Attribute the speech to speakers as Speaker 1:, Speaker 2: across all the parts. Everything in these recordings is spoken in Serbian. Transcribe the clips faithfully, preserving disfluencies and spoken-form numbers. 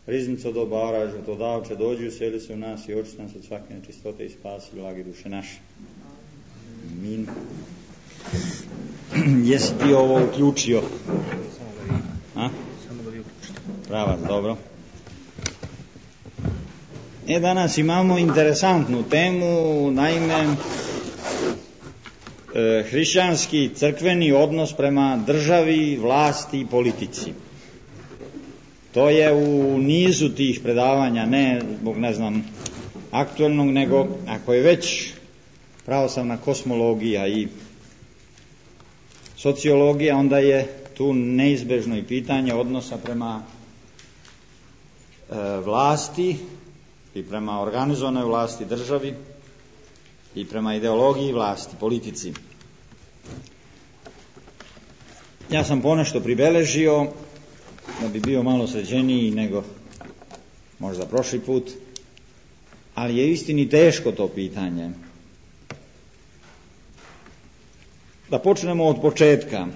Speaker 1: riznico dobara, žrtvodavče, dođi useli se u nas i očisti nas od svake nečistote i spasi blagi duše naše. Amin. Jesi ti ovo uključio? A? Pravac, dobro. E, danas imamo interesantnu temu, naime, e, hrišćanski crkveni odnos prema državi, vlasti i politici. To je u nizu tih predavanja, ne zbog, ne znam, aktualnog, nego ako je već pravoslavna kosmologija i sociologija, onda je tu neizbežno i pitanje odnosa prema e, vlasti i prema organizovanoj vlasti, državi i prema ideologiji vlasti, politici. Ja sam ponešto pribeležio da bi bio malo sređeniji nego možda prošli put, ali je istini teško to pitanje. Da počnemo od početka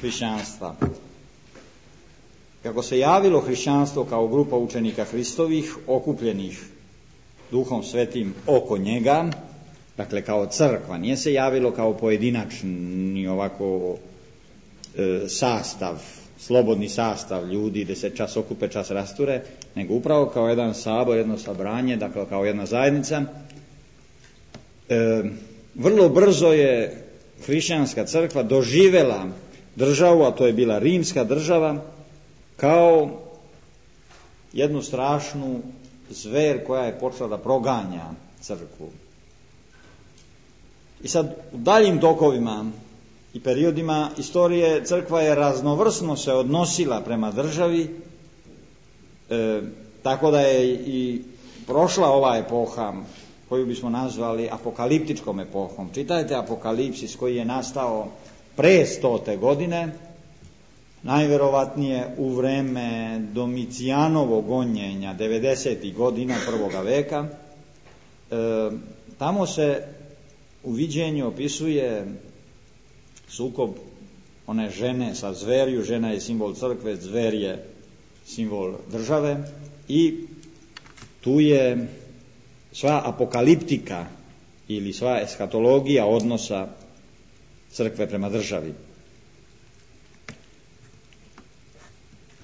Speaker 1: hrišćanstva. Kako se javilo hrišćanstvo kao grupa učenika Hristovih, okupljenih Duhom Svetim oko njega, dakle kao crkva, nije se javilo kao pojedinačni ovako e, sastav, slobodni sastav ljudi gdje se čas okupe, čas rasture, nego upravo kao jedan sabor, jedno sabranje, dakle kao jedna zajednica. E, vrlo brzo je hrišćanska crkva doživjela državu, a to je bila rimska država, kao jednu strašnu zver koja je počela da proganja crkvu. I sad u daljim tokovima i periodima istorije crkva je raznovrsno se odnosila prema državi, e, tako da je i prošla ova epoha koju bismo nazvali apokaliptičkom epohom. Čitajte Apokalipsis koji je nastao pre stote godine, najverovatnije u vreme Domicijanovog gonjenja devedesetih godina prvoga veka. E, tamo se u viđenju opisuje sukob one žene sa zverju. Žena je simbol crkve, zver je simbol države i tu je sva apokaliptika ili sva eskatologija odnosa crkve prema državi.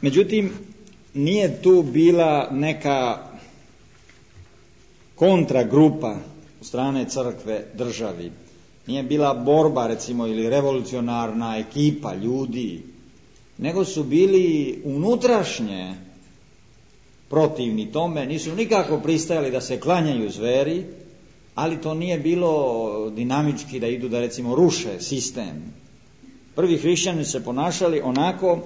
Speaker 1: Međutim, nije tu bila neka kontragrupa strane crkve državi. Nije bila borba, recimo, ili revolucionarna ekipa ljudi, nego su bili unutrašnje protivni tome, nisu nikako pristajali da se klanjaju zveri, ali to nije bilo dinamički da idu da, recimo, ruše sistem. Prvi hrišćani se ponašali onako,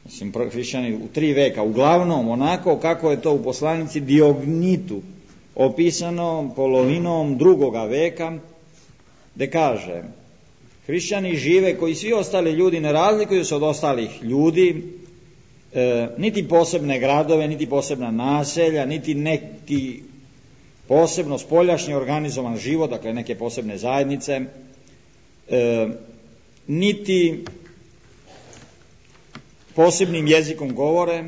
Speaker 1: mislim, prvi hrišćani u tri veka, uglavnom onako kako je to u poslanici Diognitu opisano polovinom drugoga veka, gde kaže: hrišćani žive koji svi ostali ljudi, ne razlikuju se od ostalih ljudi, e, niti posebne gradove, niti posebna naselja, niti neki posebno spoljašnji organizovan život, dakle neke posebne zajednice, e, niti posebnim jezikom govore,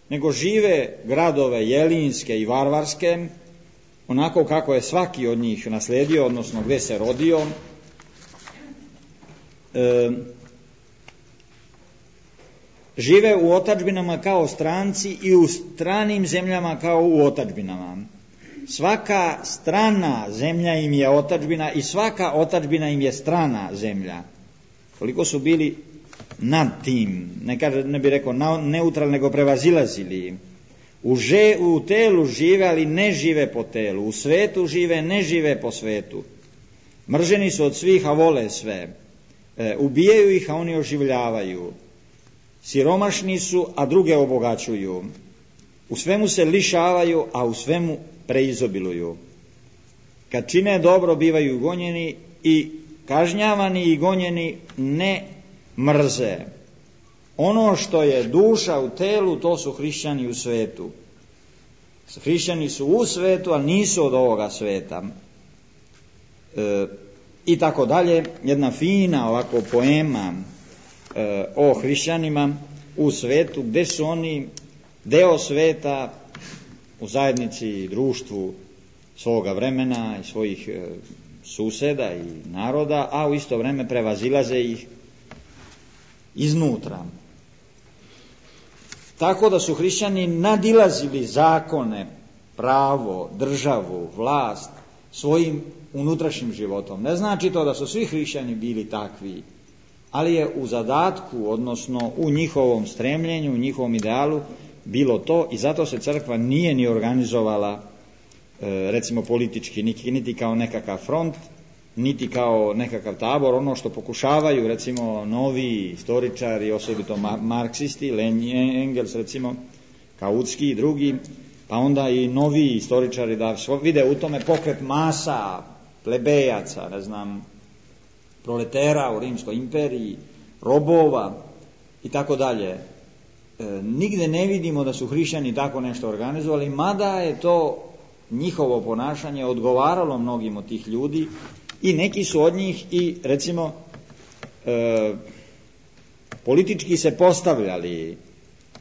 Speaker 1: nego žive gradove jelinske i varvarske, onako kako je svaki od njih nasledio, odnosno gdje se rodio. E, žive u otadžbinama kao stranci i u stranim zemljama kao u otadžbinama. Svaka strana zemlja im je otadžbina i svaka otadžbina im je strana zemlja. Koliko su bili nad tim, ne, kaže, ne bi rekao neutralni, nego prevazilazili. U, že, u telu žive, ali ne žive po telu. U svetu žive, ne žive po svetu. Mrženi su od svih, a vole sve. E, ubijaju ih, a oni oživljavaju. Siromašni su, a druge obogaćuju. U svemu se lišavaju, a u svemu preizobiluju. Kad čine dobro, bivaju gonjeni i kažnjavani i gonjeni ne mrze. Ono što je duša u telu, to su hrišćani u svetu. Hrišćani su u svetu, ali nisu od ovoga sveta. E, I tako dalje, jedna fina ovako poema e, o hrišćanima u svetu, gdje su oni deo sveta, u zajednici i društvu svoga vremena i svojih e, suseda i naroda, a u isto vrijeme prevazilaze ih iznutra. Tako da su hrišćani nadilazili zakone, pravo, državu, vlast svojim unutrašnjim životom. Ne znači to da su svi hrišćani bili takvi, ali je u zadatku, odnosno u njihovom stremljenju, u njihovom idealu bilo to, i zato se crkva nije ni organizovala e, recimo politički, niti, niti kao nekakav front, niti kao nekakav tabor, ono što pokušavaju recimo novi istoričari, osobito marksisti, Lenin, Engels recimo, Kautski i drugi, pa onda i novi istoričari da vide u tome pokret masa, plebejaca, ne znam, proletera u Rimskoj imperiji, robova i tako dalje. E, nigde ne vidimo da su hrišćani tako nešto organizovali, mada je to njihovo ponašanje odgovaralo mnogim od tih ljudi i neki su od njih i recimo e, politički se postavljali,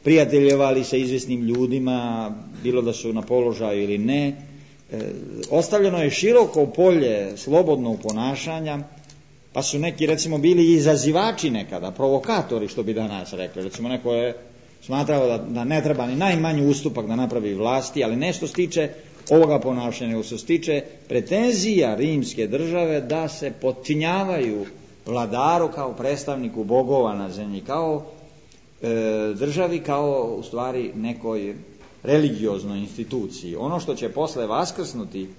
Speaker 1: prijateljevali sa izvjesnim ljudima, bilo da su na položaju ili ne. E, ostavljeno je široko polje slobodnog ponašanja, pa su neki recimo bili izazivači nekada, provokatori što bi danas rekli. Recimo neko je smatrao da, da ne treba ni najmanji ustupak da napravi vlasti, ali nešto stiče ovoga ponašanja, nego se stiče pretenzija rimske države da se potčinjavaju vladaru kao predstavniku bogova na zemlji, kao e, državi, kao u stvari nekoj religioznoj instituciji. Ono što će posle vaskrsnuti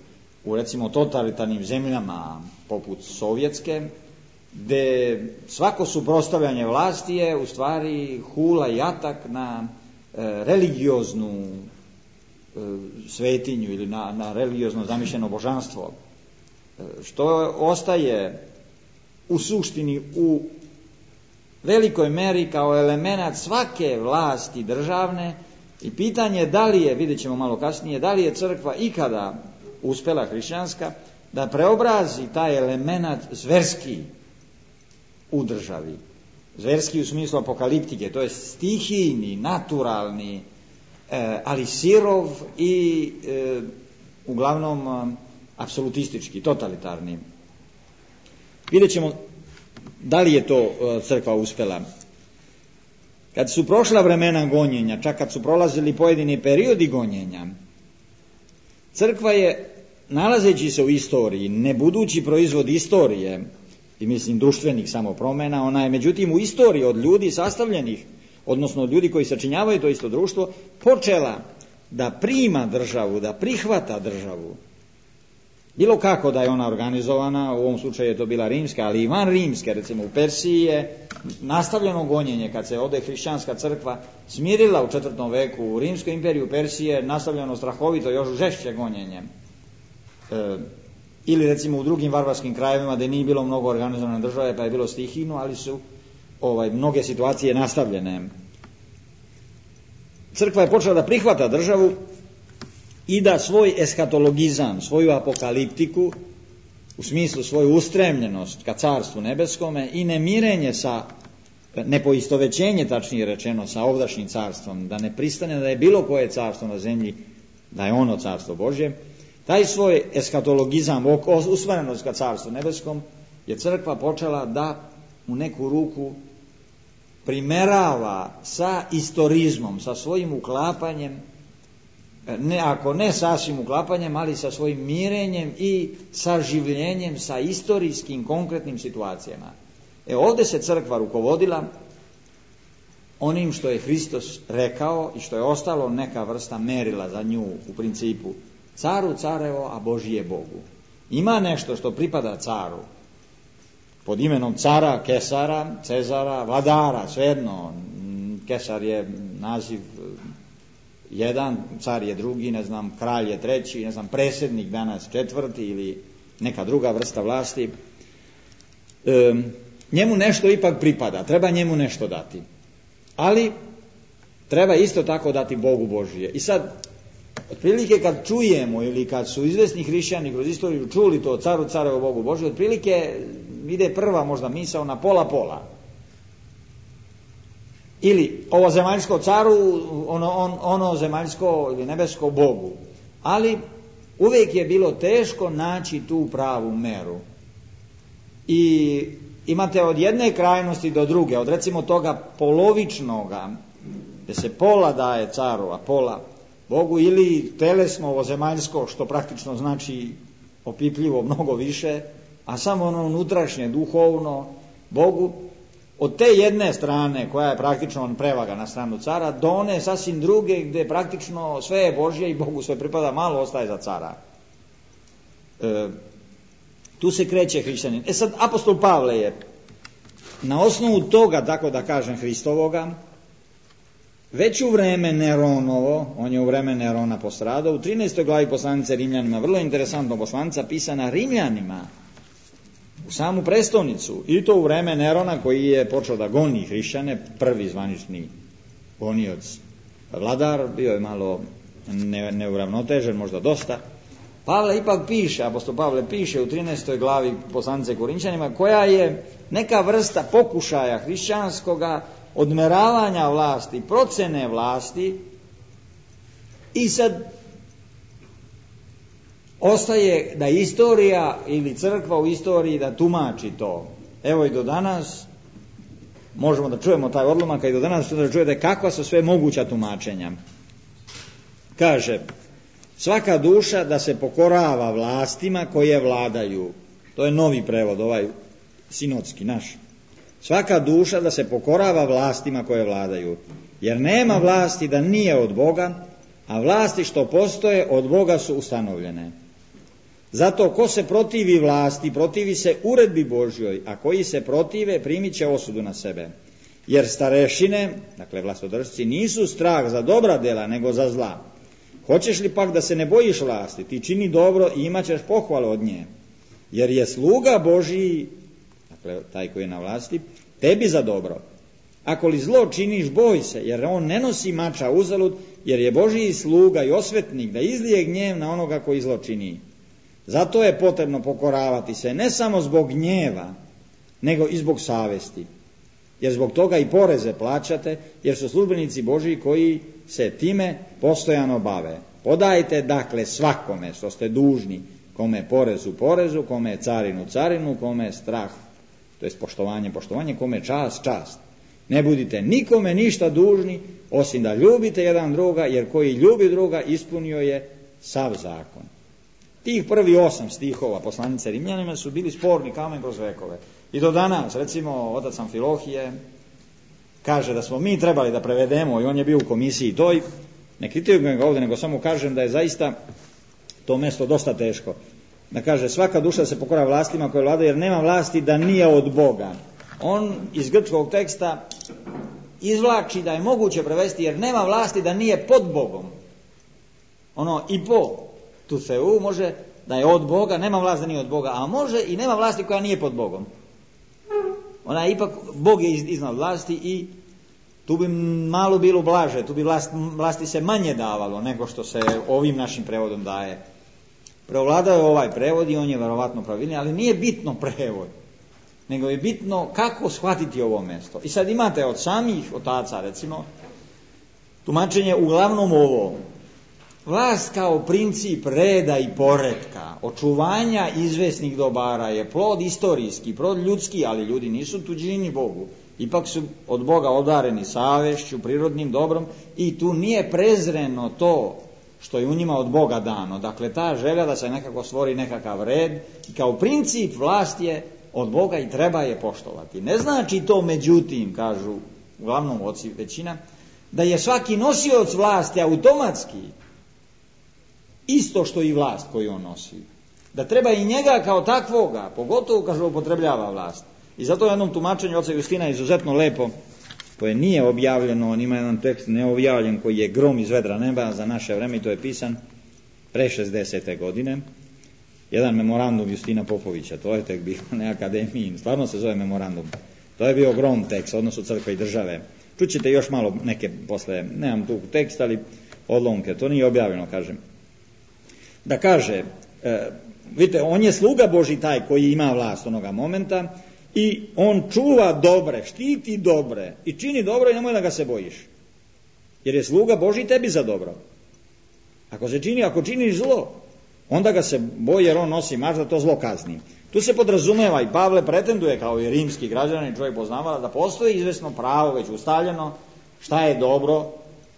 Speaker 1: u recimo totalitarnim zemljama poput Sovjetske, gde svako suprotstavljanje vlasti je u stvari hula i atak na e, religioznu e, svetinju ili na, na religiozno zamišljeno božanstvo, e, što ostaje u suštini u velikoj meri kao element svake vlasti državne, i pitanje je da li je, vidjet ćemo malo kasnije, da li je crkva ikada uspjela hrišćanska da preobrazi taj element zverski u državi. Zverski u smislu apokaliptike, to je stihijni, naturalni, e, ali sirov i e, uglavnom e, apsolutistički, totalitarni. Vidjet ćemo da li je to e, crkva uspjela. Kad su prošla vremena gonjenja, čak kad su prolazili pojedini periodi gonjenja, crkva je, nalazeći se u istoriji, ne budući proizvod istorije, i mislim društvenih samo promjena, ona je međutim u istoriji od ljudi sastavljenih, odnosno od ljudi koji sačinjavaju to isto društvo, počela da prima državu, da prihvata državu. Bilo kako da je ona organizovana, u ovom slučaju je to bila rimska, ali i van rimske, recimo u Persiji je nastavljeno gonjenje, kad se ode hrišćanska crkva smirila u četvrtom veku, u Rimskoj imperiji u Persiji je nastavljeno strahovito, još žešće gonjenje. E, ili recimo u drugim varvarskim krajevima gdje nije bilo mnogo organizovane države, pa je bilo stihijno, ali su ovaj, mnoge situacije nastavljene. Crkva je počela da prihvata državu i da svoj eskatologizam, svoju apokaliptiku, u smislu svoju ustremljenost ka carstvu nebeskome i nemirenje sa, nepoistovećenje tačnije rečeno, sa ovdašnjim carstvom, da ne pristane da je bilo koje carstvo na zemlji, da je ono carstvo Božje, taj svoj eskatologizam, usmerenost ka carstvu nebeskom, je crkva počela da u neku ruku primerava sa istorizmom, sa svojim uklapanjem, ne, ako ne sasvim uklapanjem, ali sa svojim mirenjem i saživljenjem sa istorijskim konkretnim situacijama. E ovdje se crkva rukovodila onim što je Hristos rekao i što je ostalo neka vrsta merila za nju u principu. Caru carevo, a Božji je Bogu. Ima nešto što pripada caru pod imenom cara, kesara, cezara, vladara, svejedno. Kesar je naziv jedan, car je drugi, ne znam, kralj je treći, ne znam, predsjednik danas četvrti ili neka druga vrsta vlasti. E, njemu nešto ipak pripada, treba njemu nešto dati. Ali treba isto tako dati Bogu Božije. I sad, otprilike kad čujemo ili kad su izvesni hrišćani kroz istoriju čuli to caru carevo Bogu Božije, otprilike ide prva možda misao na pola pola. ili ovo zemaljsko caru, ono, on, ono zemaljsko ili nebesko Bogu. Ali uvijek je bilo teško naći tu pravu meru. I imate od jedne krajnosti do druge, od recimo toga polovičnoga, gdje se pola daje caru, a pola Bogu, ili telesno ovo zemaljsko, što praktično znači opipljivo mnogo više, a samo ono unutrašnje, duhovno, Bogu. Od te jedne strane, koja je praktično prevaga na stranu cara, do one sasvim druge, gdje praktično sve je Božje i Bogu sve pripada, malo ostaje za cara. E, tu se kreće hrišćanin. E sad, apostol Pavle je na osnovu toga, tako da kažem, Hristovoga, već u vreme Neronovo, on je u vreme Nerona postradao, u trinaestoj glavi poslanice Rimljanima, vrlo interesantno poslanica pisana Rimljanima, u samu prestolnicu, i to u vreme Nerona, koji je počeo da goni hrišćane, prvi zvanični gonioc vladar, bio je malo ne, neuravnotežen, možda dosta. Pavle ipak piše, apostol Pavle piše u trinaestoj glavi poslanice Korinčanima, koja je neka vrsta pokušaja hrišćanskoga odmeravanja vlasti, procene vlasti, i sad ostaje da istorija ili crkva u istoriji da tumači to. Evo i do danas možemo da čujemo taj odlomak, i do danas da čujete kakva su sve moguća tumačenja. Kaže, svaka duša da se pokorava vlastima koje vladaju. To je novi prevod, ovaj sinodski naš. Svaka duša da se pokorava vlastima koje vladaju, jer nema vlasti da nije od Boga, a vlasti što postoje od Boga su ustanovljene. Zato ko se protivi vlasti, protivi se uredbi Božjoj, a koji se protive primit će osudu na sebe. Jer starešine, dakle vlastodržci, nisu strah za dobra dela, nego za zla. Hoćeš li pak da se ne bojiš vlasti, ti čini dobro i imat ćeš pohvalu od nje. Jer je sluga Božji, dakle taj koji je na vlasti, tebi za dobro. Ako li zlo činiš, boj se, jer on ne nosi mača uzalud, jer je Božji sluga i osvetnik da izlije gnjev na onoga koji zlo čini. Zato je potrebno pokoravati se, ne samo zbog gnjeva, nego i zbog savesti. Jer zbog toga i poreze plaćate, jer su službenici Božji koji se time postojano bave. Podajte dakle svakome što ste dužni, kome porezu porezu, kome carinu carinu, kome strah, to jest poštovanje poštovanje, kome čast čast. Ne budite nikome ništa dužni, osim da ljubite jedan druga, jer koji ljubi druga ispunio je sav zakon. Tih prvi osam stihova poslanice Rimljanima su bili sporni kamen kroz vekove. I do danas, recimo, otac Amfilohije kaže da smo mi trebali da prevedemo, i on je bio u komisiji toj, ne kritikujem ga ovdje, nego samo kažem da je zaista to mesto dosta teško. Da kaže, svaka duša se pokora vlastima koje vlada, jer nema vlasti da nije od Boga. On iz grčkog teksta izvlači da je moguće prevesti, jer nema vlasti da nije pod Bogom. Ono i po tu seu može da je od Boga, nema vlasti da nije od Boga, a može i nema vlasti koja nije pod Bogom. Ona je ipak, Bog je iznad vlasti i tu bi malo bilo blaže, tu bi vlast, vlasti se manje davalo nego što se ovim našim prevodom daje. Preovladao je ovaj prevod i on je verovatno pravilni, ali nije bitno prevod, nego je bitno kako shvatiti ovo mjesto. I sad imate od samih otaca, recimo, tumačenje uglavnom ovo. Vlast kao princip reda i poretka, očuvanja izvesnih dobara je plod istorijski, plod ljudski, ali ljudi nisu tuđini Bogu. Ipak su od Boga odareni savešću, prirodnim dobrom, i tu nije prezreno to što je u njima od Boga dano. Dakle, ta želja da se nekako stvori nekakav red, i kao princip vlast je od Boga i treba je poštovati. Ne znači to, međutim, kažu uglavnom oci većina, da je svaki nosioc vlasti automatski isto što i vlast koju on nosi. Da treba i njega kao takvoga, pogotovo kažu upotrebljava vlast. I zato u jednom tumačenju oca Justina izuzetno lepo, koje nije objavljeno, on ima jedan tekst neobjavljen koji je grom iz vedra neba za naše vreme, i to je pisan pre šezdesete godine. Jedan memorandum Justina Popovića, to je tek bio na akademiji, stvarno se zove memorandum. To je bio grom tekst, odnosu crkve i države. Čućete još malo neke posle, nemam tu tekst, ali odlomke, to nije objavljeno, kažem. Da kaže, e, vidite, on je sluga Božji taj koji ima vlast onoga momenta, i on čuva dobre, štiti dobre i čini dobro i nemoj da ga se bojiš. Jer je sluga Božji tebi za dobro. Ako se čini, ako činiš zlo, onda ga se boji jer on nosi mač da to zlo kazni. Tu se podrazumeva i Pavle pretenduje kao i rimski građanin, čovjek poznavala da postoji izvesno pravo već ustaljeno šta je dobro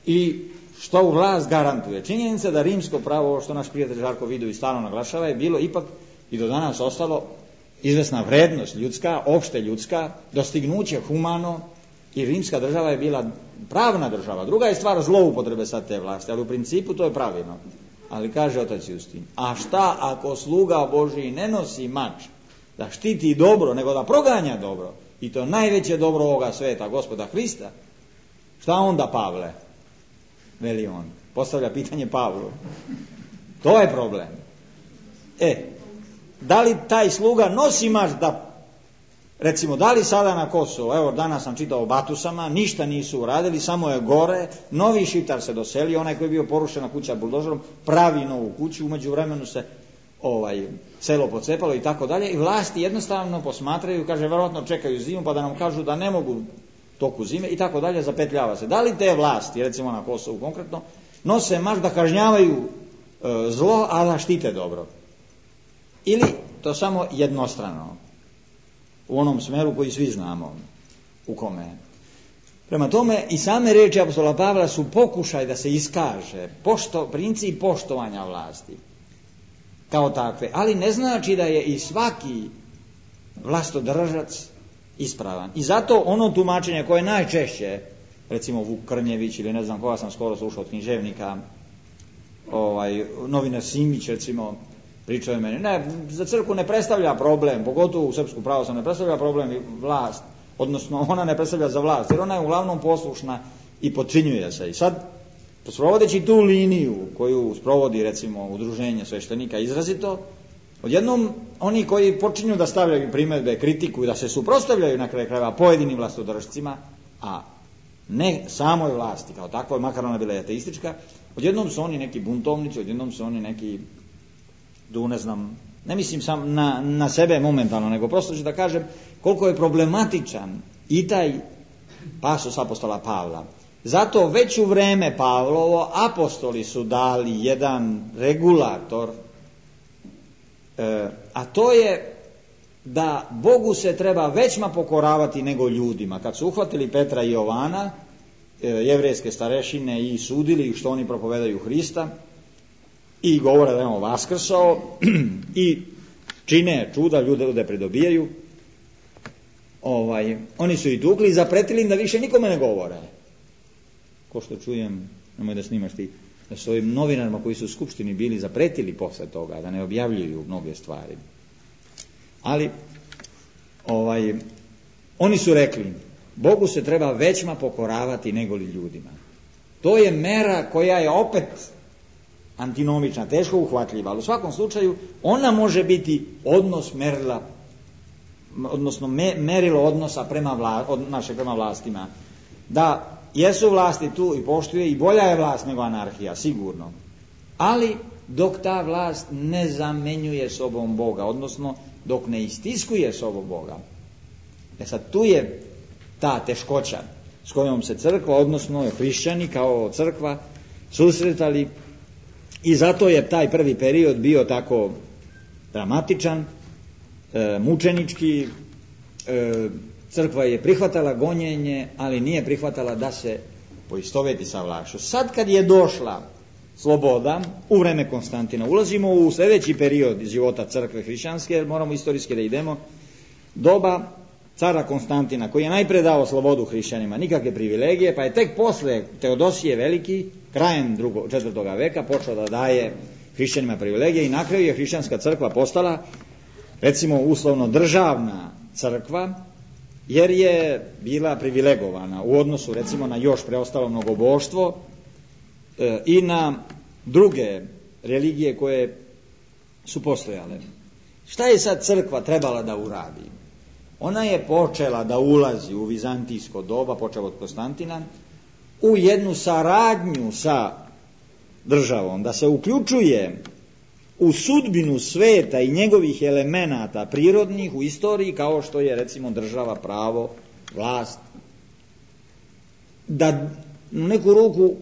Speaker 1: i što u vlast garantuje. Činjenica da rimsko pravo, ovo što naš prijatelj Žarko Vidu i stalno naglašava, je bilo ipak i do danas ostalo izvesna vrednost ljudska, opšte ljudska, dostignuće humano i rimska država je bila pravna država. Druga je stvar zloupotrebe sad te vlasti, ali u principu to je pravilno. Ali kaže otac Justin, a šta ako sluga Božiji ne nosi mač da štiti dobro, nego da proganja dobro, i to najveće dobro ovoga sveta, Gospoda Hrista, šta onda, Pavle? Veli on, postavlja pitanje Pavlu. To je problem. E, da li taj sluga nosi mač da, recimo, da li sada na Kosovo, evo danas sam čitao o Batusama, ništa nisu uradili, samo je gore, novi Šiptar se doselio, onaj koji je bio porušena kuća buldožerom, pravi novu kuću, umeđu vremenu se ovaj, selo pocepalo i tako dalje, i vlasti jednostavno posmatraju, kaže, verovatno čekaju zimu, pa da nam kažu da ne mogu toku zime i tako dalje, zapetljava se. Da li te vlasti, recimo na Kosovu konkretno, nose mač da kažnjavaju e, zlo, a da štite dobro? Ili to samo jednostrano, u onom smeru koji svi znamo u kome. Prema tome i same riječi apostola Pavla su pokušaj da se iskaže pošto, princip poštovanja vlasti kao takve, ali ne znači da je i svaki vlastodržac ispravan. I zato ono tumačenje koje najčešće, recimo Vuk Krnjević ili ne znam koga sam skoro slušao od književnika, ovaj, novinar Simić recimo, pričao je meni, ne, za crkvu ne predstavlja problem, pogotovo u srpsku pravoslavnu ne predstavlja problem vlast, odnosno ona ne predstavlja za vlast, jer ona je uglavnom poslušna i potčinjuje se. I sad, sprovodeći tu liniju koju sprovodi recimo udruženje sveštenika izrazito, odjednom oni koji počinju da stavljaju primjedbe, kritiku i da se suprotstavljaju na kraju krajeva pojedinim vlastodržcima, a ne samoj vlasti kao takvoj, makar ona bila ateistička, odjednom su oni neki buntovnici, odjednom su oni neki, tu ne znam, ne mislim sam na, na sebe momentalno, nego prosto ću da kažem koliko je problematičan i taj pasus apostola Pavla. Zato već u vreme Pavlovo apostoli su dali jedan regulator, e, a to je da Bogu se treba većma pokoravati nego ljudima. Kad su uhvatili Petra i Jovana, e, jevrejske starešine, i sudili što oni propovedaju Hrista, i govore da je on vaskrsao i čine čuda, ljude, ljude pridobijaju, ovaj, oni su i tukli i zapretili im da više nikome ne govore. Ko što čujem, nemoj da snimaš ti, da su ovim novinarima koji su u skupštini bili zapretili posle toga, da ne objavljuju mnoge stvari. Ali ovaj, oni su rekli, Bogu se treba većma pokoravati nego li ljudima. To je mera koja je opet antinomična, teško uhvatljiva, ali u svakom slučaju ona može biti odnos merila, odnosno me, merilo odnosa prema vla, od naše prema vlastima. Da jesu vlasti tu i poštuje, i bolja je vlast nego anarhija, sigurno. Ali dok ta vlast ne zamenjuje sobom Boga, odnosno dok ne istiskuje sobom Boga. E sad tu je ta teškoća s kojom se crkva, odnosno hrišćani kao crkva, susretali. I zato je taj prvi period bio tako dramatičan, e, mučenički, e, crkva je prihvatala gonjenje, ali nije prihvatala da se poistoveti sa vlašću. Sad kad je došla sloboda, u vreme Konstantina, ulazimo u sljedeći period života crkve hrišćanske, jer moramo istorijski da idemo, doba cara Konstantina, koji je najpre dao slobodu hrišćanima, nikakve privilegije, pa je tek posle Teodosije Veliki, krajem drugog, četvrtoga veka, počeo da daje hrišćanima privilegije, i na kraju je hrišćanska crkva postala, recimo, uslovno državna crkva, jer je bila privilegovana u odnosu, recimo, na još preostalo mnogoboštvo e, i na druge religije koje su postojale. Šta je sad crkva trebala da uradi? Ona je počela da ulazi u vizantijsko doba, počeo od Konstantina, u jednu saradnju sa državom, da se uključuje u sudbinu sveta i njegovih elemenata prirodnih u istoriji, kao što je recimo država, pravo, vlast, da u neku ruku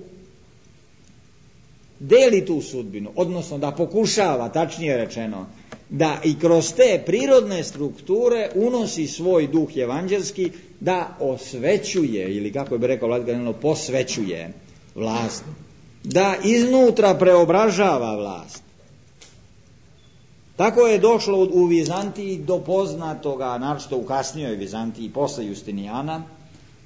Speaker 1: deli tu sudbinu, odnosno da pokušava, tačnije rečeno, da i kroz te prirodne strukture unosi svoj duh evanđelski, da osvećuje, ili kako bi rekao Vladika, posvećuje vlast, da iznutra preobražava vlast. Tako je došlo u Vizantiji do poznatoga, naročito u kasnijoj Vizantiji posle Justinijana,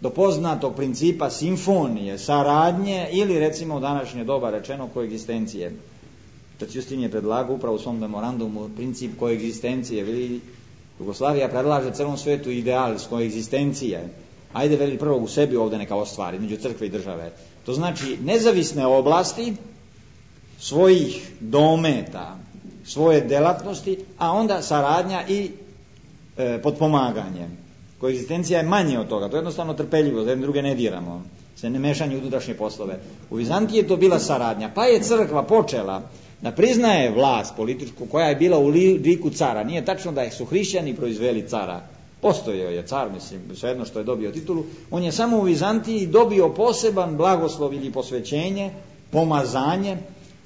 Speaker 1: do poznatog principa simfonije, saradnje ili recimo u današnje doba rečeno koegzistencije. Justin je predlagao upravo u svom memorandumu princip koegzistencije. Veli, Jugoslavija predlaže celom svetu ideal koegzistencije. Ajde, veli, prvo u sebi ovdje neka ostvari, među crkve i države. To znači nezavisne oblasti svojih dometa, svoje delatnosti, a onda saradnja i e, potpomaganje. Koegzistencija je manje od toga, to je jednostavno trpeljivo, da jedne druge ne diramo, se ne mešanje u unutrašnje poslove. U Vizantiji je to bila saradnja, pa je crkva počela da priznaje vlast političku koja je bila u liku cara. Nije tačno da su hrišćani proizveli cara. Postojao je car, mislim, svejedno što je dobio titulu. On je samo u Vizantiji dobio poseban blagoslov ili posvećenje, pomazanje,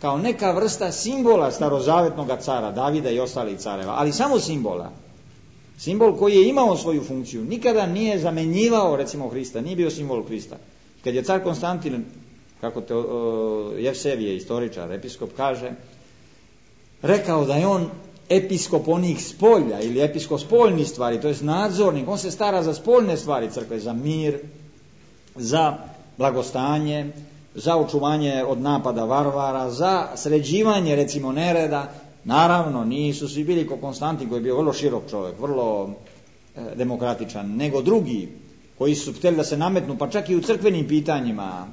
Speaker 1: kao neka vrsta simbola starozavetnog cara, Davida i ostalih careva, ali samo simbola. Simbol koji je imao svoju funkciju, nikada nije zamenjivao recimo Hrista, nije bio simbol Hrista. Kad je car Konstantin, kako te, o, Jevsevije, istoričar, episkop, kaže, rekao da je on episkop onih spolja ili episkop spoljnih stvari, to je nadzornik, on se stara za spoljne stvari crkve, za mir, za blagostanje, za očuvanje od napada varvara, za sređivanje recimo nereda. Naravno, nisu svi bili ko Konstantin koji je bio vrlo širok čovjek, vrlo e, demokratičan, nego drugi koji su htjeli da se nametnu, pa čak i u crkvenim pitanjima,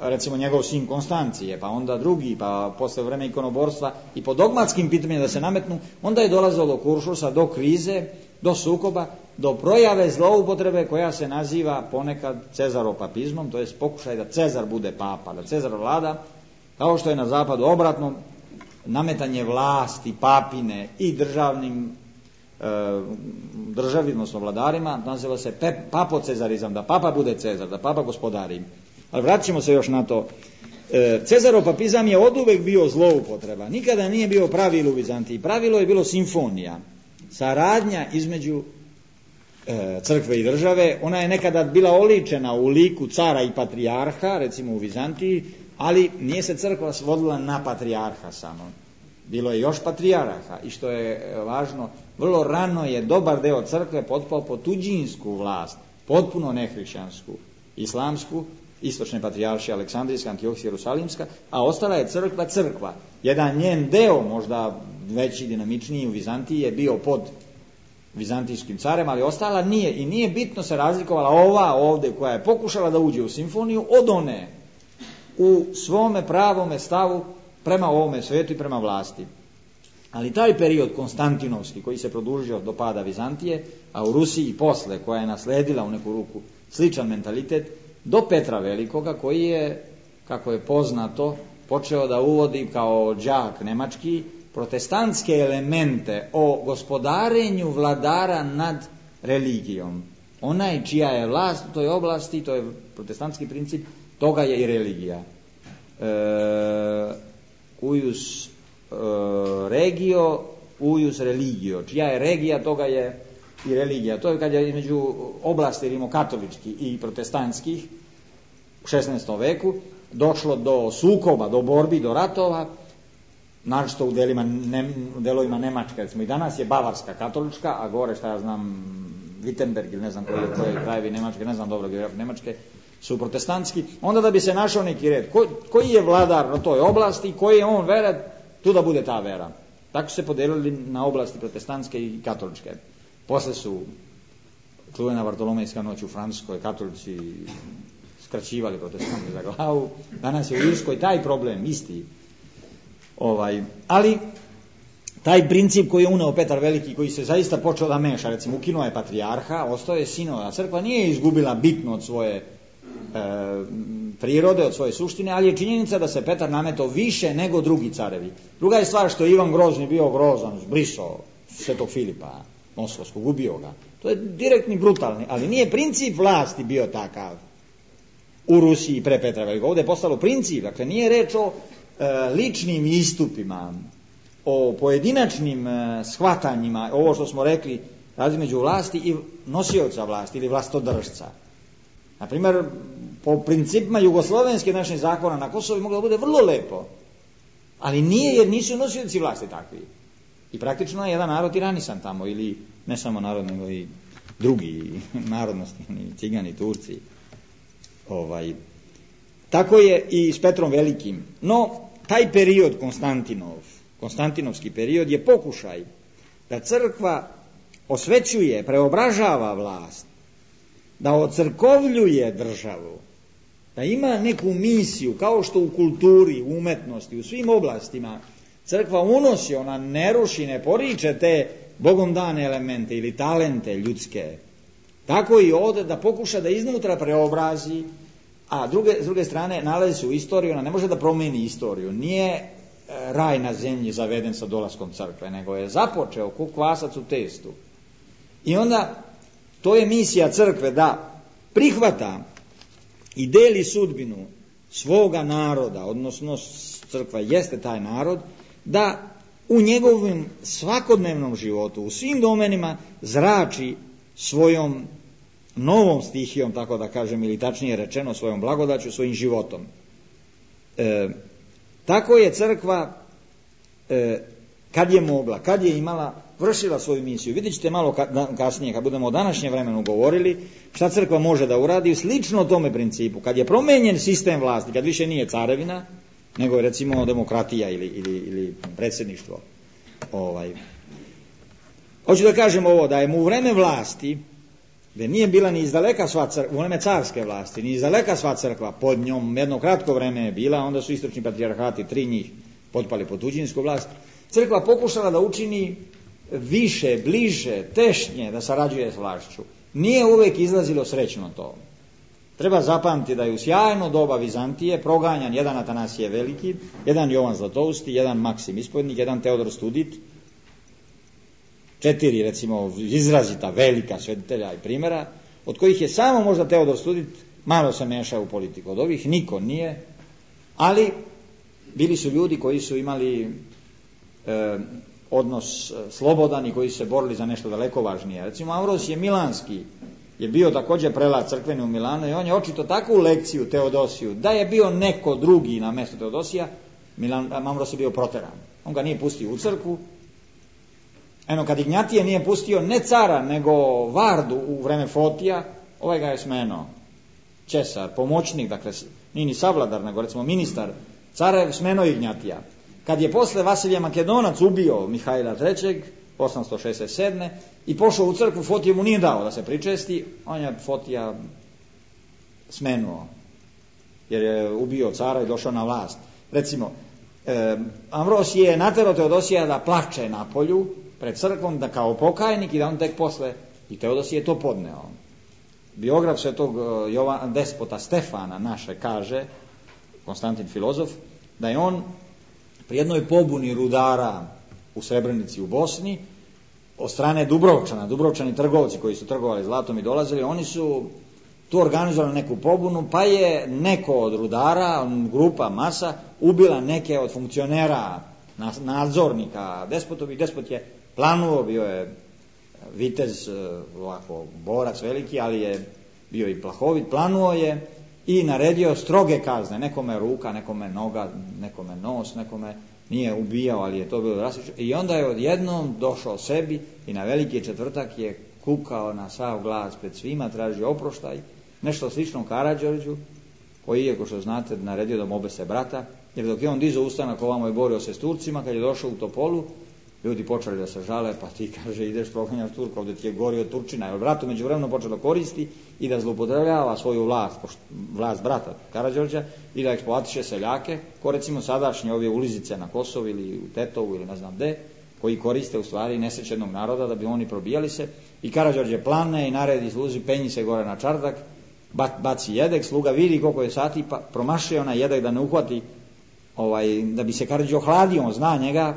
Speaker 1: recimo njegov sin Konstancije, pa onda drugi, pa posle vreme ikonoborstva i po dogmatskim pitanjima da se nametnu, onda je dolazilo do kuršusa, do krize, do sukoba, do projave zloupotrebe koja se naziva ponekad cezaropapizmom, to je pokušaj da Cezar bude papa, da Cezar vlada, kao što je na zapadu obratno, nametanje vlasti, papine i državnim e, državi, odnosno vladarima, naziva se pep, papocezarizam, da papa bude Cezar, da papa gospodari. Ali vratit ćemo se još na to. E, cezaropapizam je oduvek bio zloupotreba, nikada nije bio pravilo u Vizantiji. Pravilo je bilo simfonija, saradnja između e, crkve i države. Ona je nekada bila oličena u liku cara i patrijarha, recimo u Vizantiji, ali nije se crkva svodila na patrijarha samo. Bilo je još patrijarha i što je važno, vrlo rano je dobar deo crkve potpao pod tuđinsku vlast, potpuno nehrišćansku, islamsku, istočne patrijaršije, Aleksandrijska, Antiohijska, Jerusalimska, a ostala je crkva crkva. Jedan njen deo, možda veći, dinamičniji u Vizantiji, je bio pod vizantijskim carem, ali ostala nije. I nije bitno se razlikovala ova ovdje koja je pokušala da uđe u simfoniju od one u svome pravome stavu prema ovome svijetu i prema vlasti. Ali taj period konstantinovski koji se produžio do pada Vizantije, a u Rusiji posle koja je nasledila u neku ruku sličan mentalitet, do Petra Velikoga koji je, kako je poznato, počeo da uvodi kao đak nemački protestantske elemente o gospodarenju vladara nad religijom. Onaj čija je vlast u toj oblasti, to je protestantski princip, toga je i religija. E, ujus e, regio, ujus religio. Čija je regija, toga je i religija. To je kad je između oblasti rimokatoličkih i protestantskih u šesnaestom veku došlo do sukoba, do borbi, do ratova, naročito u delima, ne, delovima Nemačka. Recimo i danas je Bavarska katolička, a gore šta ja znam Wittenberg ili ne znam koje, koje krajevi Nemačke, ne znam dobro geografije Nemačke, su protestantski. Onda da bi se našao neki red, ko, koji je vladar na toj oblasti, koji je on vera, tu da bude ta vera. Tako su se podelili na oblasti protestantske i katoličke. Posle su čuvena Vartolomejska noć u Francuskoj, katolici skraćivali protestanti za glavu. Danas je u Irskoj taj problem isti. Ovaj, ali taj princip koji je uneo Petar Veliki, koji se zaista počeo da meša, recimo ukinuo je patrijarha, ostao je sinova, a crkva nije izgubila bitno od svoje prirode, od svoje suštine, ali je činjenica da se Petar nametao više nego drugi carevi. Druga je stvar što je Ivan Grozni bio grozan, zbrisao Svetog Filipa Moskovskog, ubio ga. To je direktni, brutalni, ali nije princip vlasti bio takav u Rusiji pre Petra Velikog. Ovdje je postalo princip, dakle nije reč o e, ličnim istupima, o pojedinačnim e, shvatanjima, ovo što smo rekli, razlika među vlasti i nosioca vlasti ili vlastodržca. Na primjer, po principima jugoslovenske naših zakona na Kosovu moglo da bude vrlo lepo, ali nije, jer nisu nosioci vlasti takvi. I praktično je jedan narod tiranisan tamo, ili ne samo narod, nego i drugi narodnosti, Cigani, Turci. Ovaj. Tako je i s Petrom Velikim. No, taj period Konstantinov, Konstantinovski period je pokušaj da crkva osvećuje, preobražava vlast, da ocrkovljuje državu, da ima neku misiju, kao što u kulturi, u umetnosti, u svim oblastima crkva unosi, ona ne ruši, ne poriče te Bogom dane elemente ili talente ljudske. Tako i ovdje da pokuša da iznutra preobrazi, a druge, s druge strane nalazi se u istoriju, ona ne može da promijeni istoriju. Nije raj na zemlji zaveden sa dolaskom crkve, nego je započeo ko kvasac u testu. I onda to je misija crkve da prihvata i deli sudbinu svoga naroda, odnosno crkva jeste taj narod, da u njegovom svakodnevnom životu, u svim domenima zrači svojom novom stihijom, tako da kažem, ili tačnije rečeno svojom blagodaću, svojim životom. E, tako je crkva e, kad je mogla, kad je imala, vršila svoju misiju. Vidjet ćete malo kasnije, kad budemo o današnjem vremenu govorili, šta crkva može da uradi, slično tome principu. Kad je promenjen sistem vlasti, kad više nije carevina, nego je recimo demokratija ili, ili, ili predsjedništvo. Ovaj. Hoću da kažem ovo, da je mu u vreme vlasti, gdje nije bila ni izdaleka sva crkva, u vreme carske vlasti, ni izdaleka sva crkva, pod njom jedno kratko vreme je bila, onda su istočni patrijarhati, tri njih, potpali pod tuđinsku vlast, crkva pokušala da učini više, bliže, tešnje da sarađuje s vlašću. Nije uvijek izlazilo srećno to. Treba zapamtiti da je u sjajno doba Vizantije proganjan jedan Atanasije Veliki, jedan Jovan Zlatousti, jedan Maksim Ispovjednik, jedan Teodor Studit, četiri recimo izrazita velika svetitelja i primjera, od kojih je samo možda Teodor Studit malo se mešao u politiku. Od ovih niko nije, ali bili su ljudi koji su imali e, odnos slobodan i koji su se borili za nešto daleko važnije. Recimo Ambrosije Milanski je bio također prelat crkveni u Milanu i on je očito takvu lekciju Teodosiju, da je bio neko drugi na mjestu Teodosija, Milan, Ambros je bio proteran. On ga nije pustio u crkvu. Eno, kad Ignjatije nije pustio ne cara, nego Vardu u vreme Fotija, ovaj ga je smenuo. Česar, pomoćnik, dakle, nije ni savladar, nego recimo ministar, cara je smenuo Ignjatija. Kad je posle Vasilije Makedonac ubio Mihajla trećeg, osamsto šezdeset sedme i pošao u crkvu, Fotije mu nije dao da se pričesti, on je Fotija smenuo, jer je ubio cara i došao na vlast. Recimo, eh, Ambrosije je naterao Teodosija da plače na polju pred crkvom, da kao pokajnik, i da on tek posle, i Teodosije je to podneo. Biograf svetog Jovan, despota Stefana naše kaže, Konstantin filozof, da je on pri jednoj pobuni rudara u Srebrenici u Bosni, od strane Dubrovčana, Dubrovčani trgovci koji su trgovali zlatom i dolazili, oni su tu organizovali neku pobunu, pa je neko od rudara, grupa, masa, ubila neke od funkcionera, nadzornika despotovi. Despot je planuo, bio je vitez, ovako, borac veliki, ali je bio i plahovit, planuo je i naredio stroge kazne, nekome ruka, nekome noga, nekome nos, nekome nije ubijao, ali je to bilo drastično. I onda je odjednom došao sebi i na veliki četvrtak je kukao na sav glas pred svima, tražio oproštaj, nešto slično Karađorđu, koji je, kao što znate, naredio da mu obese brata, jer dok je on dizao ustanak ovamo i borio se s Turcima, kad je došao u Topolu, ljudi počeli da se žale, pa ti, kaže, ideš proganjaš Turka, ovdje ti je gorio Turčina, jer brat međuvremeno počeo da koristi i da zloupotrebljava svoju vlast, vlast brata Karađorđa, i da eksploatiše seljake, ko recimo sadašnje ove ulizice na Kosovu ili u Tetovu ili ne znam gde, koji koriste u stvari nesrećenog naroda da bi oni probijali se, i Karađorđe plane i naredi sluzi, penji se gore na čardak baci jedek, sluga vidi koliko je sati, pa promašuje onaj jedek da ne uhvati, ovaj, da bi se Karadžić ohladio, on zna njega,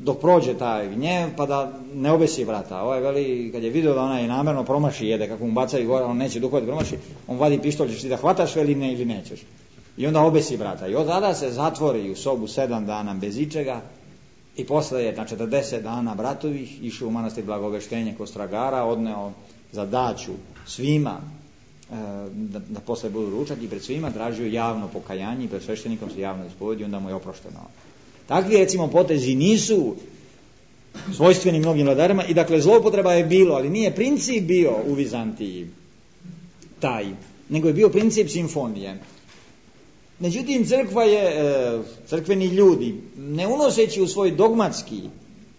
Speaker 1: dok prođe taj gnjev, pa da ne obesi vrata. Ovaj veli, kad je vidio da onaj namjerno promaši jede, kako mu bacaju gore, on neće duhvati promaši, on vadi pištolj, ćeš ti da hvataš veli ne ili nećeš. I onda obesi vrata. I od tada se zatvori u sobu sedam dana bez ičega i posle je na četrdeset dana bratovih išao u manastir Blagoveštenje kod Stragara, odneo zadaću svima da, da posle budu ručak i pred svima tražio javno pokajanje i pred sveštenikom se javno ispovedio, onda mu je oprošteno. Takvi recimo potezi nisu svojstveni mnogim vladarima i dakle zloupotreba je bilo, ali nije princip bio u Vizantiji taj, nego je bio princip simfonije. Međutim, crkva je, crkveni ljudi, ne unoseći u svoj dogmatski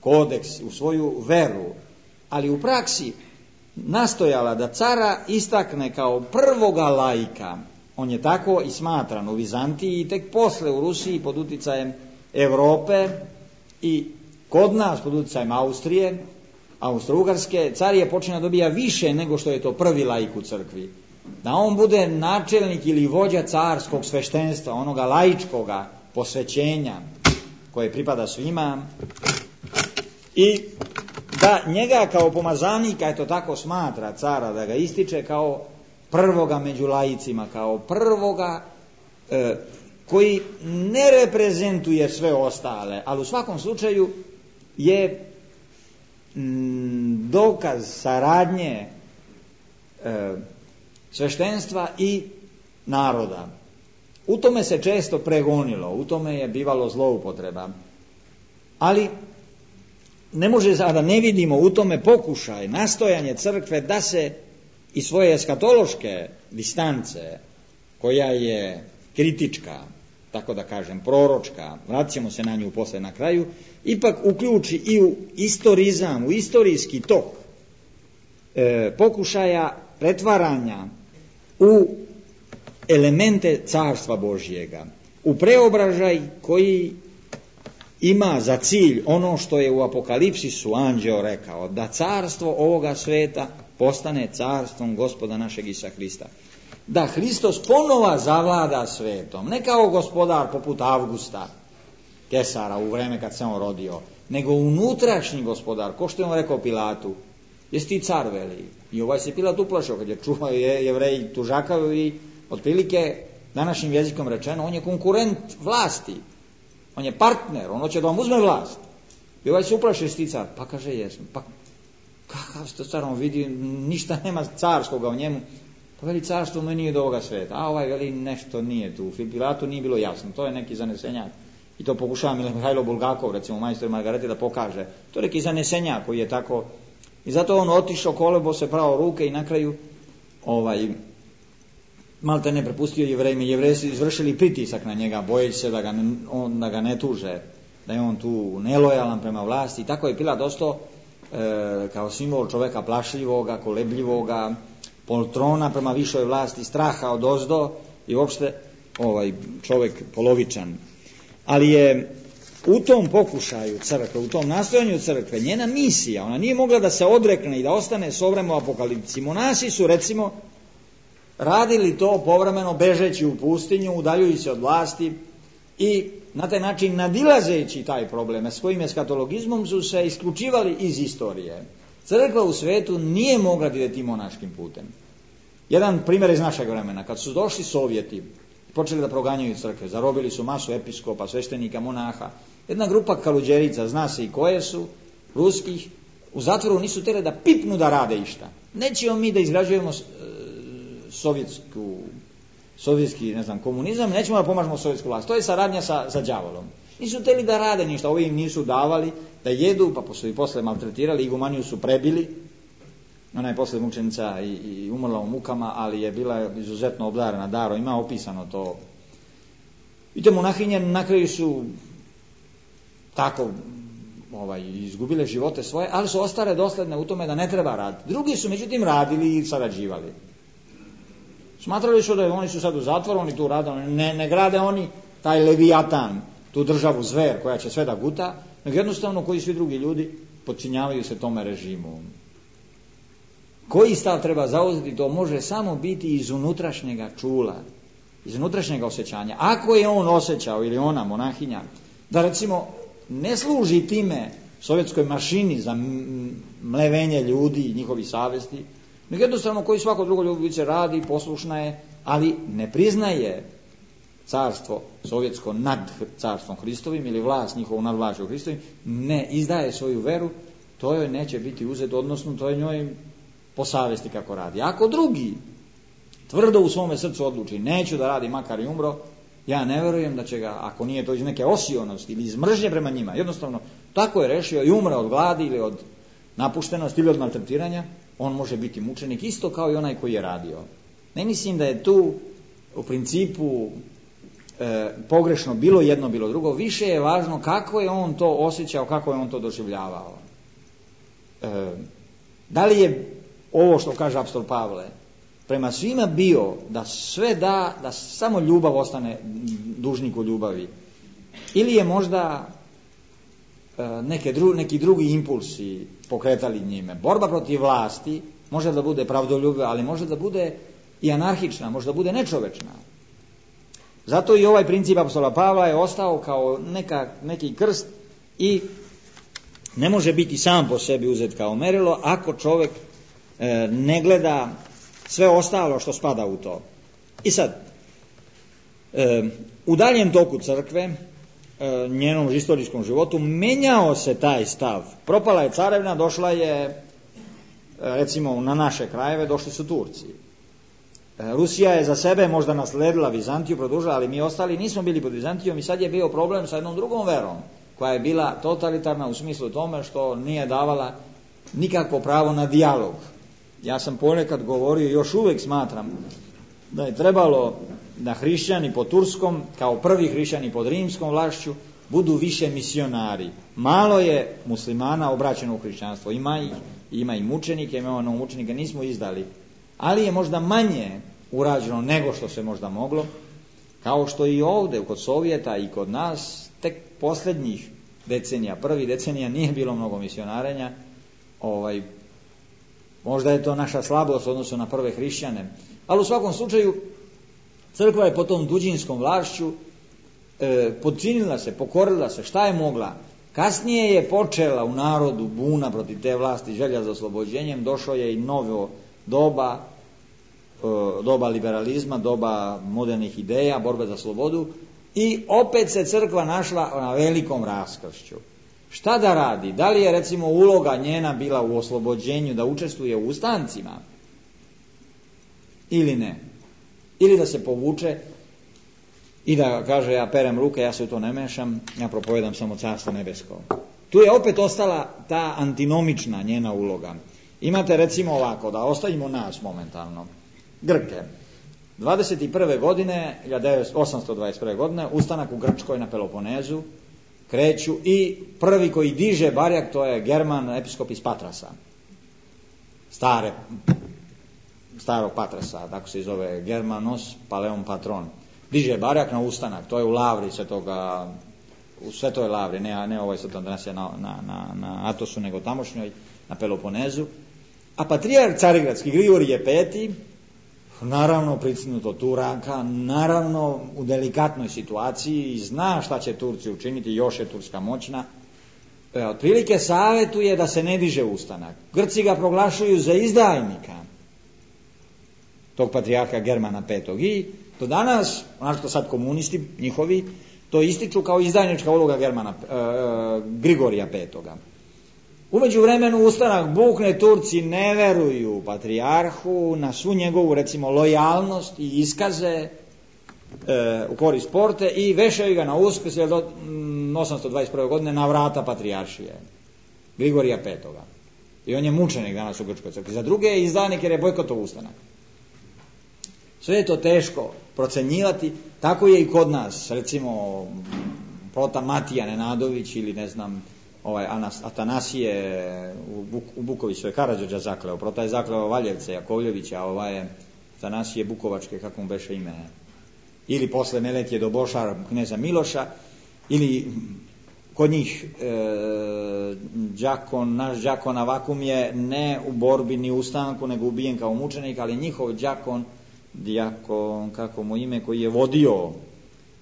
Speaker 1: kodeks, u svoju veru, ali u praksi nastojala da cara istakne kao prvoga laika. On je tako i smatran u Vizantiji i tek posle u Rusiji pod uticajem Europe i kod nas pod uticajem Austrije, Austro-Ugarske, car je počinio dobija više nego što je to prvi laik u crkvi. Da on bude načelnik ili vođa carskog sveštenstva, onoga laičkoga posvećenja koje pripada svima i da njega kao pomazanika, eto tako smatra cara, da ga ističe kao prvoga među laicima, kao prvoga e, koji ne reprezentuje sve ostale, ali u svakom slučaju je m, dokaz saradnje e, sveštenstva i naroda. U tome se često pregonilo, u tome je bivalo zloupotreba. Ali ne može da ne vidimo u tome pokušaj, nastojanje crkve da se i svoje eskatološke distance, koja je kritička, tako da kažem, proročka, vratit ćemo se na nju posle na kraju, ipak uključi i u istorizam, u istorijski tok e, pokušaja pretvaranja u elemente carstva Božjega, u preobražaj koji ima za cilj ono što je u Apokalipsisu anđeo rekao, da carstvo ovoga sveta postane carstvom Gospoda našeg Isusa Hrista. Da Hristos ponova zavlada svetom, ne kao gospodar poput Avgusta, Kesara u vreme kad se on rodio, nego unutrašnji gospodar, ko što je on rekao Pilatu, jesi ti car, veli. I ovaj se Pilat uplašao kad je čuo je Jevreji tužakaju i otprilike današnjim jezikom rečeno, on je konkurent vlasti, on je partner, on hoće da vam uzme vlast. I ovaj se uplaši, jesi ti car, pa kaže jesam, pa kakav ste car, on vidi, ništa nema carskoga u njemu, pa veli carstvo mu nije do ovoga sveta, a ovaj veli nešto nije tu, u Pilatu nije bilo jasno, to je neki zanesenjak. I to pokušava Mihajlo Bulgakov, recimo majstor Margarete, da pokaže. To je neki zanesenjak koji je tako. I zato on otišao, kolebo se pravo ruke i na kraju ovaj, malte ne prepustio Jevrejima. Jevreji su izvršili pritisak na njega, bojeći se da ga, ne, on, da ga ne tuže, da je on tu nelojalan prema vlasti. I tako je Pilat ostao e, kao simbol čoveka plašljivoga, kolebljivoga, poltrona prema višoj vlasti, straha od ozdo i uopšte ovaj, čovek polovičan. Ali je u tom pokušaju crkve, u tom nastojanju crkve, njena misija, ona nije mogla da se odrekne i da ostane s ovremeno apokalipsi. Monasi su, recimo, radili to povremeno bežeći u pustinju, udaljujući se od vlasti i na taj način nadilazeći taj problem, s kojim eskatologizmom su se isključivali iz istorije. Crkva u svetu nije mogla da ide tim monaškim putem. Jedan primjer iz našeg vremena, kad su došli Sovjeti, počeli da proganjaju crkve, zarobili su masu episkopa, sveštenika, monaha. Jedna grupa kaluđerica, zna se i koje su, ruskih, u zatvoru nisu htjeli da pipnu da rade išta. Nećemo mi da izgrađujemo e, sovjetsku, sovjetski, ne znam, komunizam, nećemo da pomažemo sovjetsku vlast. To je saradnja sa, sa đavolom. Nisu htjeli da rade ništa, ovi im nisu davali da jedu, pa su i posle maltretirali, igumaniju su prebili. Ona je posle mučenica i, i umrla u mukama, ali je bila izuzetno obdarena darom, ima opisano to. I te monahinje na kraju su tako ovaj, izgubile živote svoje, ali su ostale dosledne u tome da ne treba raditi. Drugi su međutim radili i sarađivali. Smatrali su da oni su sad u zatvoru, oni tu rade, ne, ne grade oni taj Leviatan, tu državu zver koja će sve da guta, nego jednostavno koji svi drugi ljudi podčinjavaju se tome režimu. koji stav treba zauzeti, to može samo biti iz unutrašnjega čula, iz unutrašnjega osjećanja. Ako je on osjećao, ili ona, monahinja, da recimo ne služi time sovjetskoj mašini za mlevenje ljudi i njihovi savesti, nego jednostavno koji svako drugo ljubice radi, poslušna je, ali ne priznaje carstvo sovjetsko nad carstvom Hristovim ili vlast njihovu nad vlašću Hristovim, ne izdaje svoju veru, to joj neće biti uzet, odnosno to je njoj po savjesti kako radi. Ako drugi tvrdo u svome srcu odluči neću da radi makar i umro, ja ne vjerujem da će ga, ako nije to iz neke osionosti ili iz mržnje prema njima, jednostavno tako je rešio i umre od gladi ili od napuštenosti ili od maltretiranja, on može biti mučenik isto kao i onaj koji je radio. Ne mislim da je tu u principu e, pogrešno bilo jedno, bilo drugo, više je važno kako je on to osjećao, kako je on to doživljavao. E, da li je ovo što kaže apostol Pavle prema svima bio da sve da, da samo ljubav ostane dužniku ljubavi, ili je možda e, neke dru, neki drugi impulsi pokretali njime. Borba protiv vlasti može da bude pravdoljubiva, ali može da bude i anarhična, može da bude nečovečna. Zato i ovaj princip apostola Pavla je ostao kao neka, neki krst i ne može biti sam po sebi uzet kao merilo ako čovjek e, ne gleda sve ostalo što spada u to. I sad, e, u daljem toku crkve, e, njenom istorijskom životu, menjao se taj stav. Propala je carevna, došla je, recimo na naše krajeve, došli su Turci. E, Rusija je za sebe možda nasledila Vizantiju, produžila, ali mi ostali nismo bili pod Vizantijom i sad je bio problem sa jednom drugom verom, koja je bila totalitarna u smislu tome što nije davala nikakvo pravo na dijalog. Ja sam ponekad govorio i još uvijek smatram da je trebalo da hrišćani pod turskom, kao prvi hrišćani pod rimskom vlašću, budu više misionari. Malo je muslimana obraćeno u hrišćanstvo. Ima ih, ima i mučenike, ima ono mučenike, nismo izdali. Ali je možda manje urađeno nego što se možda moglo, kao što i ovdje kod Sovjeta i kod nas tek posljednjih decenija, prvi decenija nije bilo mnogo misionarenja. Ovaj, možda je to naša slabost u odnosu na prve hrišćane, ali u svakom slučaju crkva je po tom tuđinskom vlašću e, podčinila se, pokorila se, šta je mogla. Kasnije je počela u narodu buna protiv te vlasti, želja za oslobođenjem, došlo je i novo doba, e, doba liberalizma, doba modernih ideja, borbe za slobodu, i opet se crkva našla na velikom raskršću. Šta da radi? Da li je recimo uloga njena bila u oslobođenju, da učestvuje u ustancima ili ne? Ili da se povuče i da kaže ja perem ruke, ja se u to ne mešam, ja propovedam samo carstvo nebesko. Tu je opet ostala ta antinomična njena uloga. Imate recimo ovako, da ostavimo nas momentalno, Grke. dvadeset prve godine, hiljadu osamsto dvadeset prve godine, ustanak u Grčkoj na Peloponezu, kreću i prvi koji diže barjak, to je German, episkop iz Patrasa. Stare, starog Patrasa, tako se zove Germanos Paleon Patron. Diže barjak na ustanak, to je u Lavri svetoga, u Svetoj Lavri, ne, ne ovoj Svetom danas je na, na, na, na Atosu, nego tamošnjoj, na Peloponezu. A patrijarh carigradski Grigorije peti, naravno pricnuto Turaka, naravno u delikatnoj situaciji, zna šta će Turci učiniti, još je Turska moćna, e, otprilike savjetuje da se ne diže ustanak. Grci ga proglašuju za izdajnika, tog patrijarha Germana petog. I do danas, ono što sad komunisti njihovi, to ističu kao izdajnička uloga Germana, e, Grigorija petoga. U međuvremenu ustanak bukne, Turci ne veruju patrijarhu na svu njegovu recimo lojalnost i iskaze e, u korist porte i vešaju ga na Uskrs do osamsto dvadeset prve godine na vrata patrijaršije Grigorija petoga. I on je mučenik danas u Grčkoj crkvi. Za druge je izdajnik jer je bojkotov ustanak. Sve je to teško procenjivati, tako je i kod nas, recimo prota Matija Nenadović ili ne znam ovaj Anas, Atanasije u, Buk, u Bukoviću je Karađorđa zakleo, prota je zakleo Valjevce, Jakovljevića, ovaj je Atanasije Bukovačke, kako mu beše ime, ili posle Meletije do Bošar kneza Miloša, ili kod njih e, đakon, naš đakon Avakum je ne u borbi ni u ustanku, nego ubijen kao mučenik, ali njihov đakon, dijakon, kako mu ime, koji je vodio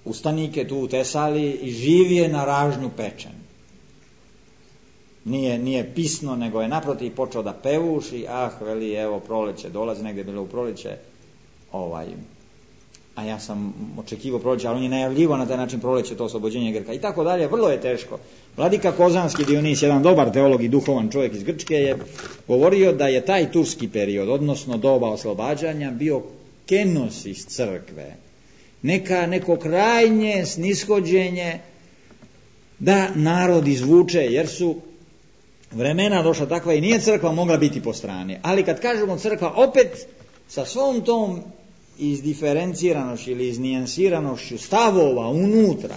Speaker 1: ustanike tu u Tesaliji i živ je na ražnju pečen. Nije, nije pisno, nego je naprotiv počeo da pevuši, ah, veli, evo, proleće, dolazi, negdje je bilo u proleće, ovaj, a ja sam očekivao proleće, ali on je najavljivo na taj način proleće, to oslobođenje Grka i tako dalje, vrlo je teško. Vladika Kozanski Dionis, jedan dobar teolog i duhovan čovjek iz Grčke, je govorio da je taj turski period, odnosno doba oslobađanja, bio kenosis crkve, neka, neko krajnje snishođenje da narod izvuče, jer su vremena došla takva i nije crkva mogla biti po strani. Ali kad kažemo crkva, opet sa svom tom izdiferenciranošću ili iznijansiranošću stavova unutra,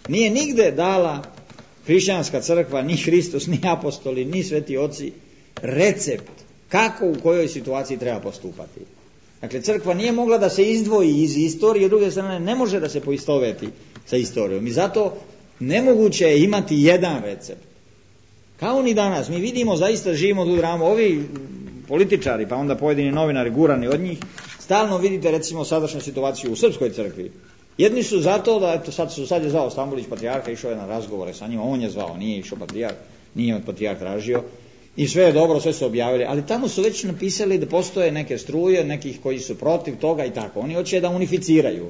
Speaker 1: nije nigde dala hrišćanska crkva, ni Hristos, ni apostoli, ni sveti oci, recept kako u kojoj situaciji treba postupati. Dakle, crkva nije mogla da se izdvoji iz istorije, s druge strane ne može da se poistoveti sa istorijom. I zato nemoguće je imati jedan recept. Kao ni danas, mi vidimo, zaista živimo tu dramu, ovi političari, pa onda pojedini novinari gurani od njih, stalno vidite recimo sadašnju situaciju u srpskoj crkvi. Jedni su zato da, eto sad su sad je zvao Stambolić patrijarha, išao je na razgovore sa njim, on je zvao, nije išao patrijarh, nije od patrijarh tražio, i sve je dobro, sve su objavili, ali tamo su već napisali da postoje neke struje, nekih koji su protiv toga i tako, oni hoće da unificiraju.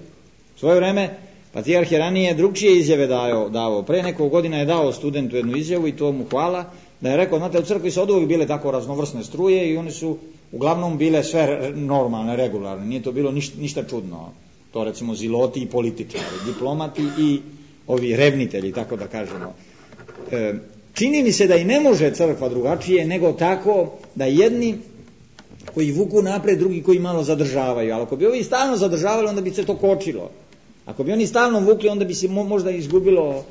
Speaker 1: U svoje vreme patrijarh je ranije drugčije izjave dao, dao. Pre nekog godina je dao studentu jednu izjavu i to mu hvala, da je rekao, znate, u crkvi su oduvijek bile tako raznovrsne struje i one su uglavnom bile sve normalne, regularne, nije to bilo ništa, ništa čudno. To recimo ziloti i političari, diplomati i ovi revnitelji, tako da kažemo. E, čini mi se da i ne može crkva drugačije nego tako da jedni koji vuku napred, drugi koji malo zadržavaju, ali ako bi ovi stalno zadržavali, onda bi se to kočilo. Ako bi oni stalno vukli, onda bi se možda izgubilo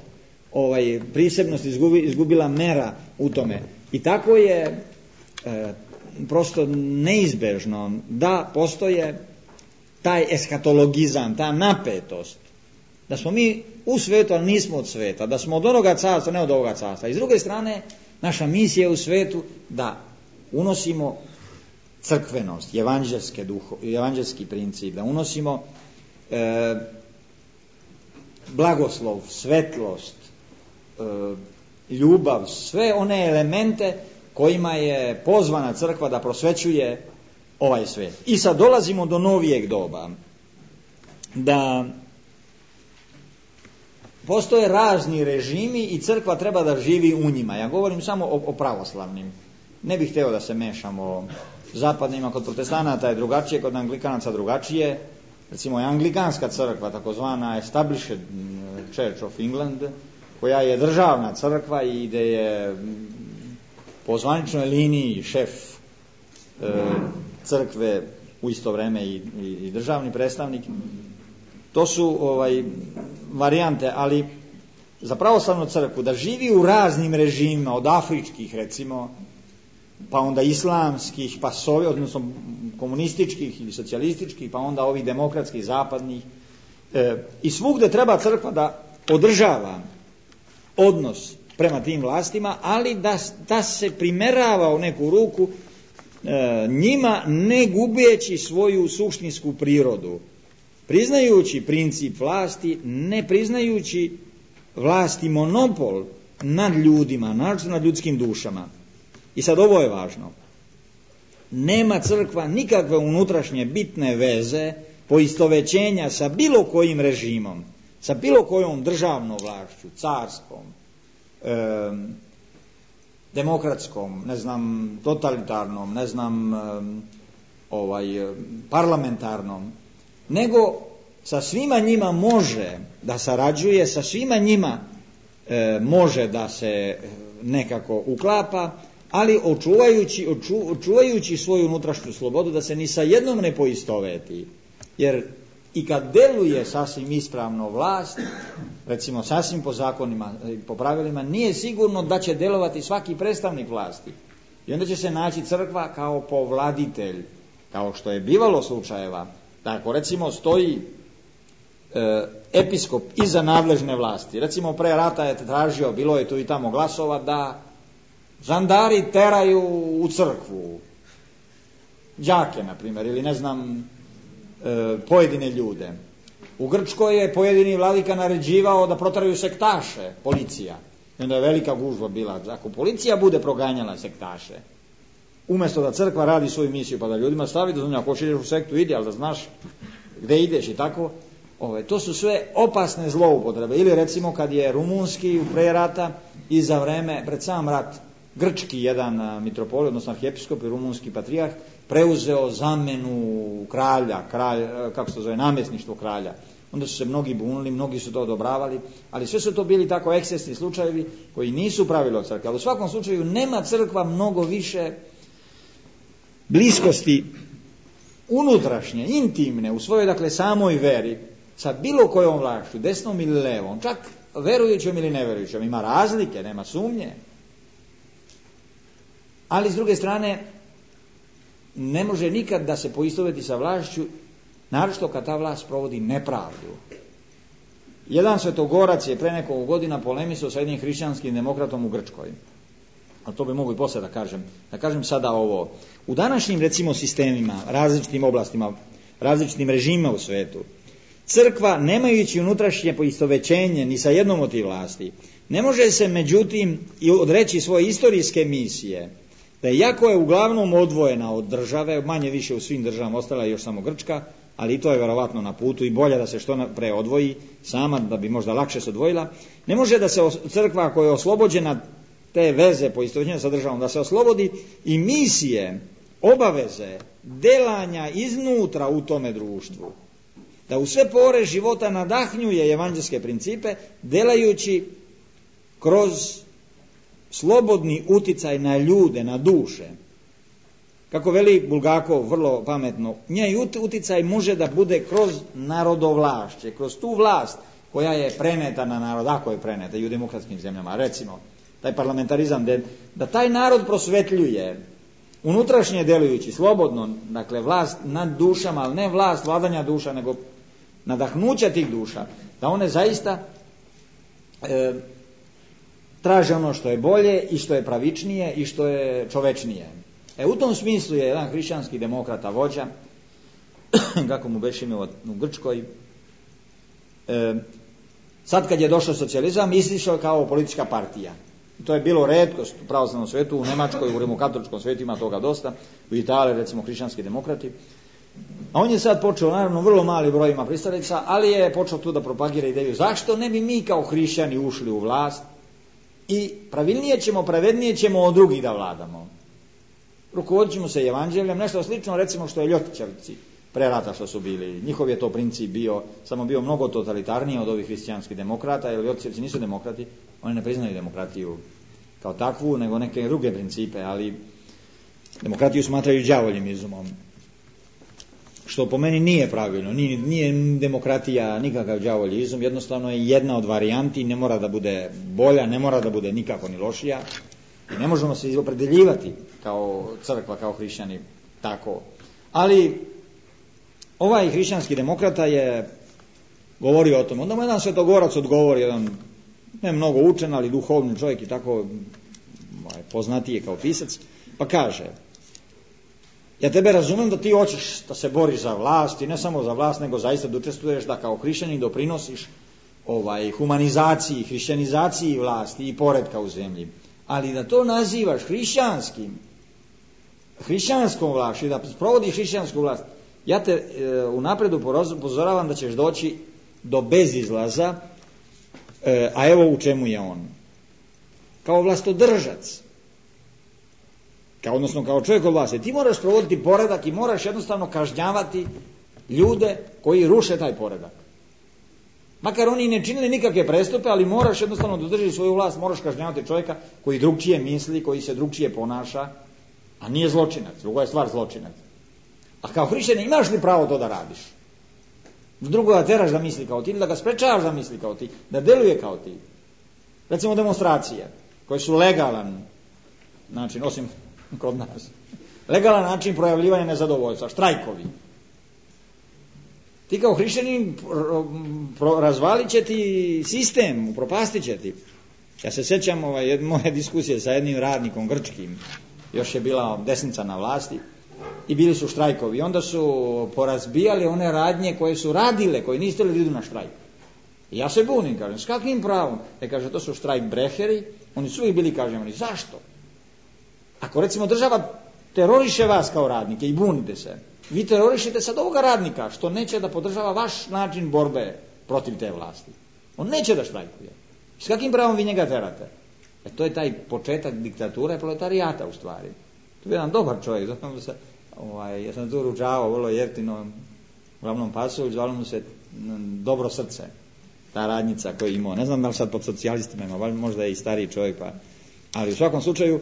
Speaker 1: ovaj, prisebnost, izgubi, izgubila mera u tome. I tako je e, prosto neizbežno da postoje taj eskatologizam, ta napetost, da smo mi u svetu, ali nismo od sveta, da smo od onoga carstva, ne od ovoga carstva. I s druge strane, naša misija je u svetu da unosimo crkvenost, evanđelske duho, evanđelski princip, da unosimo e, blagoslov, svetlost, e, ljubav, sve one elemente kojima je pozvana crkva da prosvećuje ovaj svet. I sad dolazimo do novijeg doba, da postoje razni režimi i crkva treba da živi u njima. Ja govorim samo o, o pravoslavnim. Ne bih hteo da se mešamo zapadnima, kod protestanata je drugačije, kod anglikanaca drugačije. Recimo je anglikanska crkva, takozvana Established Church of England, koja je državna crkva i gde je po zvaničnoj liniji šef e, crkve u isto vreme i, i, i državni predstavnik. To su ovaj, varijante, ali za pravoslavnu crkvu da živi u raznim režimima, od afričkih recimo, pa onda islamskih, pa sovi, odnosno komunističkih ili socijalističkih, pa onda ovih demokratskih, zapadnih. E, I svugde treba crkva da održava odnos prema tim vlastima, ali da, da se primerava u neku ruku e, njima, ne gubeći svoju suštinsku prirodu, priznajući princip vlasti, ne priznajući vlasti monopol nad ljudima, nad ljudskim dušama. I sad ovo je važno. Nema crkva nikakve unutrašnje bitne veze poistovećenja sa bilo kojim režimom, sa bilo kojom državnom vlašću, carskom, e, demokratskom, ne znam, totalitarnom, ne znam, e, ovaj, parlamentarnom, nego sa svima njima može da sarađuje, sa svima njima e, može da se nekako uklapa, ali očuvajući, oču, očuvajući svoju unutrašnju slobodu, da se ni sa jednom ne poistoveti. Jer i kad deluje sasvim ispravno vlast, recimo sasvim po zakonima, po pravilima, nije sigurno da će delovati svaki predstavnik vlasti. I onda će se naći crkva kao povladitelj, kao što je bivalo slučajeva. Tako recimo stoji e, episkop iza nadležne vlasti. Recimo pre rata je tražio, bilo je tu i tamo glasova, da žandari teraju u crkvu đake, na primjer, ili ne znam, e, pojedine ljude. U Grčkoj je pojedini vladika naređivao da proteraju sektaše, policija. I onda je velika gužva bila. Ako policija bude proganjala sektaše, umjesto da crkva radi svoju misiju, pa da ljudima stavi da ako hoćeš u sektu ide, ali da znaš gde ideš i tako, ove, to su sve opasne zloupotrebe. Ili recimo kad je rumunski u pre rata i za vreme, pred sam rat, grčki jedan mitropolit, odnosno arhijepiskop i rumunski patrijarh, preuzeo zamenu kralja, kralj, kako se to zove, namjesništvo kralja. Onda su se mnogi bunili, mnogi su to odobravali, ali sve su to bili tako ekscesni slučajevi koji nisu pravilo crkve. Ali u svakom slučaju nema crkva mnogo više bliskosti unutrašnje, intimne, u svojoj dakle samoj veri, sa bilo kojom vlašću, desnom ili levom, čak verujućom ili neverujućom. Ima razlike, nema sumnje. Ali s druge strane, ne može nikad da se poistoveti sa vlašću, naročito kad ta vlast provodi nepravdu. Jedan svetogorac je pre nekoliko godina polemisao sa jednim hrišćanskim demokratom u Grčkoj. Ali to bi mogu i posle da kažem. Da kažem sada ovo. U današnjim, recimo, sistemima, različitim oblastima, različitim režimima u svetu, crkva, nemajući unutrašnje poistovećenje ni sa jednom od tih vlasti, ne može se međutim i odreći svoje istorijske misije, da iako je uglavnom odvojena od države, manje više u svim državama, ostala je još samo Grčka, ali i to je verovatno na putu i bolje da se što pre odvoji sama, da bi možda lakše se odvojila, ne može da se crkva koja je oslobođena te veze poistovećenja sa državom, da se oslobodi i misije, obaveze, delanja iznutra u tome društvu, da u sve pore života nadahnjuje evanđelske principe, delajući kroz slobodni uticaj na ljude, na duše. Kako veli Bulgakov vrlo pametno, njej uticaj može da bude kroz narodovlašće, kroz tu vlast koja je preneta na narod, ako je preneta i u demokratskim zemljama, recimo, taj parlamentarizam, da taj narod prosvetljuje, unutrašnje delujući, slobodno, dakle vlast nad dušama, ali ne vlast vladanja duša, nego nadahnuća tih duša, da one zaista e, traže ono što je bolje i što je pravičnije i što je čovečnije. E u tom smislu je jedan hrišćanski demokrata vođa, kako mu beše ime u Grčkoj, e, sad kad je došao socijalizam, izišao kao politička partija. To je bilo retkost u pravoslavnom svetu, u Nemačkoj, u rimokatoličkom svetu ima toga dosta, u Italiji recimo hrišćanski demokrati. A on je sad počeo, naravno, vrlo mali broj ima pristalica, ali je počeo tu da propagira ideju zašto ne bi mi kao hrišćani ušli u vlast i pravilnije ćemo, pravednije ćemo od drugih da vladamo. Rukovodit ćemo se evanđeljem, nešto slično recimo što je Ljotićevci pre rata što su bili. Njihov je to princip bio, samo bio mnogo totalitarniji od ovih hrišćanskih demokrata, jer Ljotićevci nisu demokrati, oni ne priznaju demokratiju kao takvu, nego neke druge principe, ali demokratiju smatraju đavoljim izumom. Što po meni nije pravilno, nije, nije demokratija nikakav đavolji izum, jednostavno je jedna od varijanti, ne mora da bude bolja, ne mora da bude nikako ni lošija. I ne možemo se opredeljivati kao crkva, kao hrišćani, tako. Ali ovaj hrišćanski demokrata je govorio o tom. Onda mu jedan svetogorac odgovori, jedan ne mnogo učen, ali duhovni čovjek i tako poznatiji kao pisac, pa kaže: ja tebe razumem da ti hoćeš da se boriš za vlast i ne samo za vlast, nego zaista da učestvuješ, da kao hrišćanin doprinosiš ovaj, humanizaciji, hrišćanizaciji vlasti i poretka u zemlji. Ali da to nazivaš hrišćanskim, hrišćanskom vlašću i da provodiš hrišćansku vlast, ja te e, unapred upozoravam da ćeš doći do bezizlaza, e, a evo u čemu je on. Kao vlastodržac, kao, odnosno kao čovjek od vlasti, ti moraš provoditi poredak i moraš jednostavno kažnjavati ljude koji ruše taj poredak. Makar oni ne činili nikakve prestupe, ali moraš jednostavno da držiš svoju vlast, moraš kažnjavati čovjeka koji drugčije misli, koji se drugčije ponaša, a nije zločinac, druga je stvar zločinac. A kao hrišćanin imaš li pravo to da radiš? Drugo da teraš da misli kao ti, ili da ga sprečavaš da misli kao ti, da deluje kao ti. Recimo demonstracije, koje su legalan način, osim kod nas, legalan način projavljivanja nezadovoljstva, štrajkovi. Ti kao hrišćanin razvalit će ti sistem, upropastit će ti. Ja se sjećam ovaj, moje diskusije sa jednim radnikom grčkim, još je bila desnica na vlasti i bili su štrajkovi. I onda su porazbijali one radnje koje su radile, koji nisu htjeli da idu na štrajk. I ja se bunim, kažem, s kakvim pravom? E, kaže, to su štrajk breheri, oni su uvijek bili kažnjavani. Zašto? Ako recimo država teroriše vas kao radnike i bunite se, vi terorišite sad ovoga radnika što neće da podržava vaš način borbe protiv te vlasti. On neće da štrajkuje. S kakvim pravom vi njega terate? E, to je taj početak diktature proletarijata u stvari. To je jedan dobar čovjek. Se, ovaj, ja sam tu ručavao vrlo jeftino glavnom pasu, zvalo mu se Dobro srce. Ta radnica koju je imao. Ne znam da li sad pod socijalistima ima, možda je i stariji čovjek, pa. Ali u svakom slučaju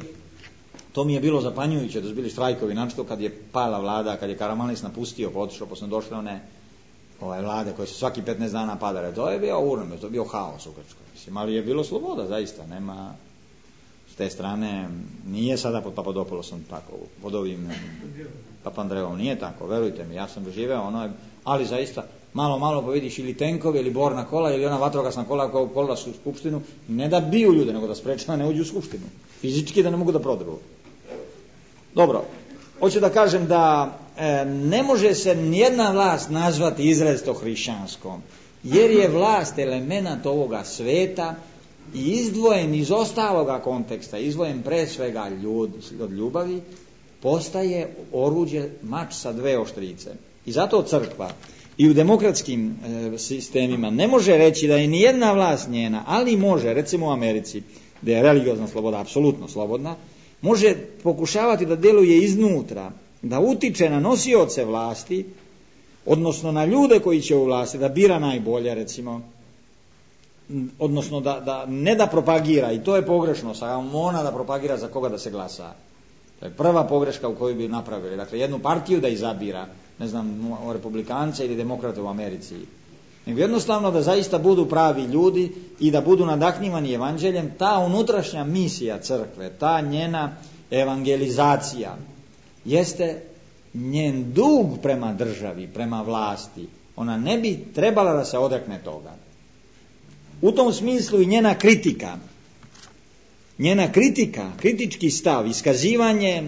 Speaker 1: to mi je bilo zapanjujuće da su bili štrajkovi, našto kad je pala vlada, kad je Karamalis napustio, pa otišao, pa su došle one ovaj, vlade koje su svaki petnaest dana padale. To je bio urno, to je bio haos u Grčkoj. Mislim, ali je bilo sloboda, zaista, nema s te strane, nije sada pod Papadopoulosom tako, pod ovim Papandreom, nije tako, verujte mi, ja sam doživeo ono, ali zaista, malo, malo pa vidiš ili tenkovi, ili borna kola, ili ona vatrogasna kola koja ukolila su u skupštinu, ne da biju ljude, nego da sprečava ne uđu u skupštinu. Fizički da ne mogu da prodru. Dobro, hoću da kažem da e, ne može se nijedna vlast nazvati izrazito hrišćanskom, jer je vlast element ovoga sveta i izdvojen iz ostaloga konteksta, izdvojen pre svega ljud, od ljubavi, postaje oruđe, mač sa dve oštrice. I zato crkva i u demokratskim e, sistemima ne može reći da je nijedna vlast njena, ali može, recimo u Americi, gdje je religiozna sloboda apsolutno slobodna, može pokušavati da djeluje iznutra, da utiče na nosioce vlasti, odnosno na ljude koji će u vlasti, da bira najbolje, recimo, odnosno da, da ne da propagira, i to je pogrešno, ona da propagira za koga da se glasa. To je prva pogreška u kojoj bi napravili. Dakle, jednu partiju da izabira, ne znam, republikance ili demokrate u Americi. Nego jednostavno da zaista budu pravi ljudi i da budu nadahnjivani evanđeljem. Ta unutrašnja misija crkve, ta njena evangelizacija jeste njen dug prema državi, prema vlasti. Ona ne bi trebala da se odrekne toga. U tom smislu i njena kritika, njena kritika, kritički stav, iskazivanje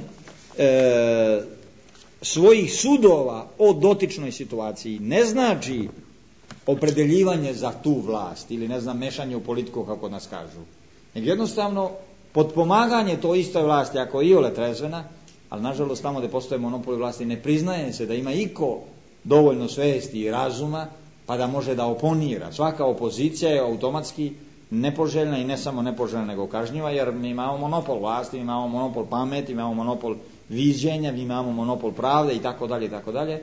Speaker 1: e, svojih sudova o dotičnoj situaciji ne znači opredeljivanje za tu vlast ili ne znam mešanje u politiku kako nas kažu. Nego jednostavno potpomaganje to istoj vlasti ako je iole trezvena, ali nažalost tamo gdje postoje monopoli vlasti ne priznaje se da ima iko dovoljno svesti i razuma pa da može da oponira. Svaka opozicija je automatski nepoželjna i ne samo nepoželjna nego kažnjiva, jer mi imamo monopol vlasti, mi imamo monopol pameti, imamo monopol viđenja, mi imamo monopol pravde i tako dalje i tako dalje.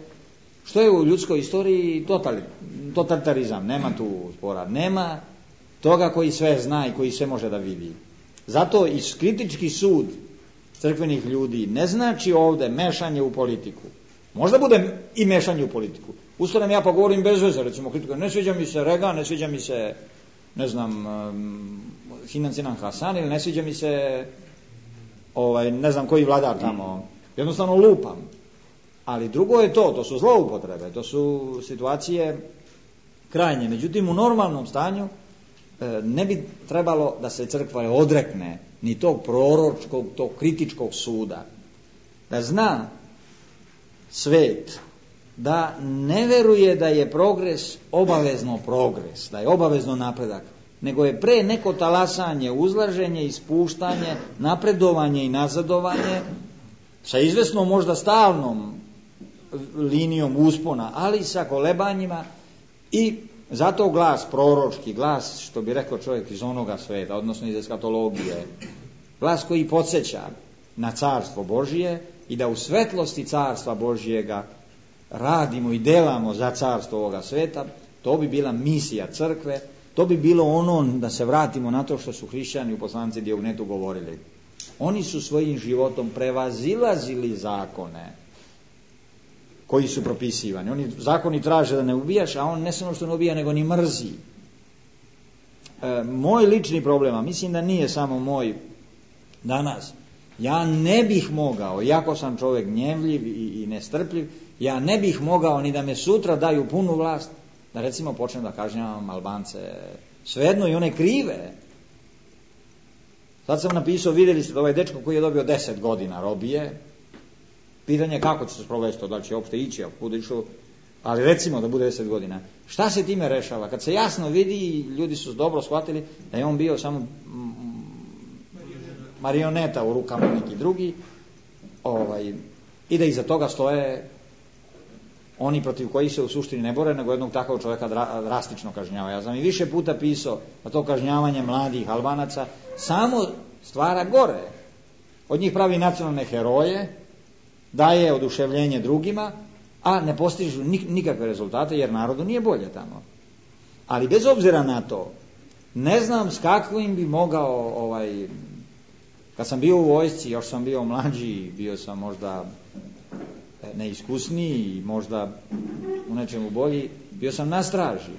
Speaker 1: Što je u ljudskoj istoriji totalitarizam, nema tu spora, nema toga koji sve zna i koji sve može da vidi. Zato i kritički sud crkvenih ljudi ne znači ovdje mešanje u politiku. Možda bude i mešanje u politiku. Ustanem ja pa govorim bez veze, recimo kritiku, ne sviđa mi se Reagan, ne sviđa mi se, ne znam, um, Sinan Sinan Hasan ili ne sviđa mi se ovaj, ne znam koji vladar tamo, jednostavno lupam. Ali drugo je to, to su zloupotrebe, to su situacije krajnje. Međutim, u normalnom stanju e, ne bi trebalo da se crkva odrekne ni tog proročkog, tog kritičkog suda. Da zna svet, da ne veruje da je progres obavezno progres, da je obavezno napredak, nego je pre neko talasanje, uzlaženje, ispuštanje, napredovanje i nazadovanje, sa izvesnom možda stalnom linijom uspona, ali sa kolebanjima i zato glas proročki, glas što bi rekao čovjek iz onoga sveta, odnosno iz eskatologije, glas koji podsjeća na carstvo Božije i da u svetlosti carstva Božijega radimo i delamo za carstvo ovoga sveta, to bi bila misija crkve, to bi bilo ono da se vratimo na to što su hrišćani u poslanici Diognetu govorili. Oni su svojim životom prevazilazili zakone koji su propisivani. Oni zakoni traže da ne ubijaš, a on ne samo što ne ubija, nego ni mrzi. E, moj lični problem, a mislim da nije samo moj danas, ja ne bih mogao, iako sam čovjek gnjevljiv i, i nestrpljiv, Ja ne bih mogao ni da me sutra daju punu vlast, da recimo počnem da kažnjavam Albance, svejedno i one krive. Sad sam napisao, vidjeli ste da ovaj dečko koji je dobio deset godina robije, pitanje kako će se sprovesti to, da li će uopšte ići, a kud išao, ali recimo da bude deset godina. Šta se time rešava? Kad se jasno vidi, ljudi su dobro shvatili da je on bio samo marioneta u rukama neki drugi, ovaj, i da iza toga stoje oni protiv kojih se u suštini ne bore, nego jednog takvog čovjeka drastično kažnjava. Ja sam i više puta pisao da to kažnjavanje mladih Albanaca samo stvara gore. Od njih pravi nacionalne heroje, daje oduševljenje drugima, a ne postižu nikakve rezultate jer narodu nije bolje tamo. Ali bez obzira na to, ne znam s kakvim bi mogao, ovaj, kad sam bio u vojsci, još sam bio mlađi, bio sam možda neiskusniji, možda u nečemu bolji, bio sam na straži.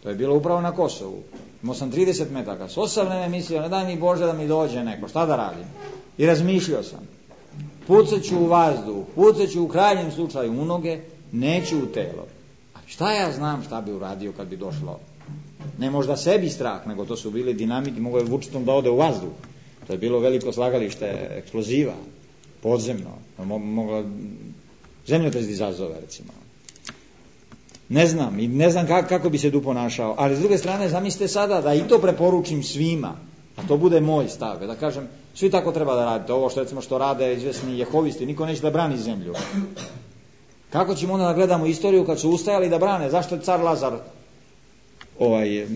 Speaker 1: To je bilo upravo na Kosovu. Imao sam trideset metaka. S osamne me mislio, ne daj mi Bože da mi dođe neko, šta da radim? I razmišljao sam. Pucat ću u vazduh, pucat ću u krajnjem slučaju u noge, neću u telo. A šta ja znam šta bi uradio kad bi došlo? Ne možda sebi strah, nego to su bili dinamiti, mogo je vučitom da ode u vazduh. To je bilo veliko slagalište eksploziva, podzemno. Mogla zemljotres izazove, recimo. Ne znam, i ne znam kako, kako bi se tu ponašao, ali s druge strane zamislite sada da i to preporučim svima, a to bude moj stav, da kažem, svi tako treba da radite, ovo što recimo što rade izvesni jehovisti, niko neće da brani zemlju. Kako ćemo onda da gledamo istoriju kad su ustajali da brane, zašto je car Lazar ovaj,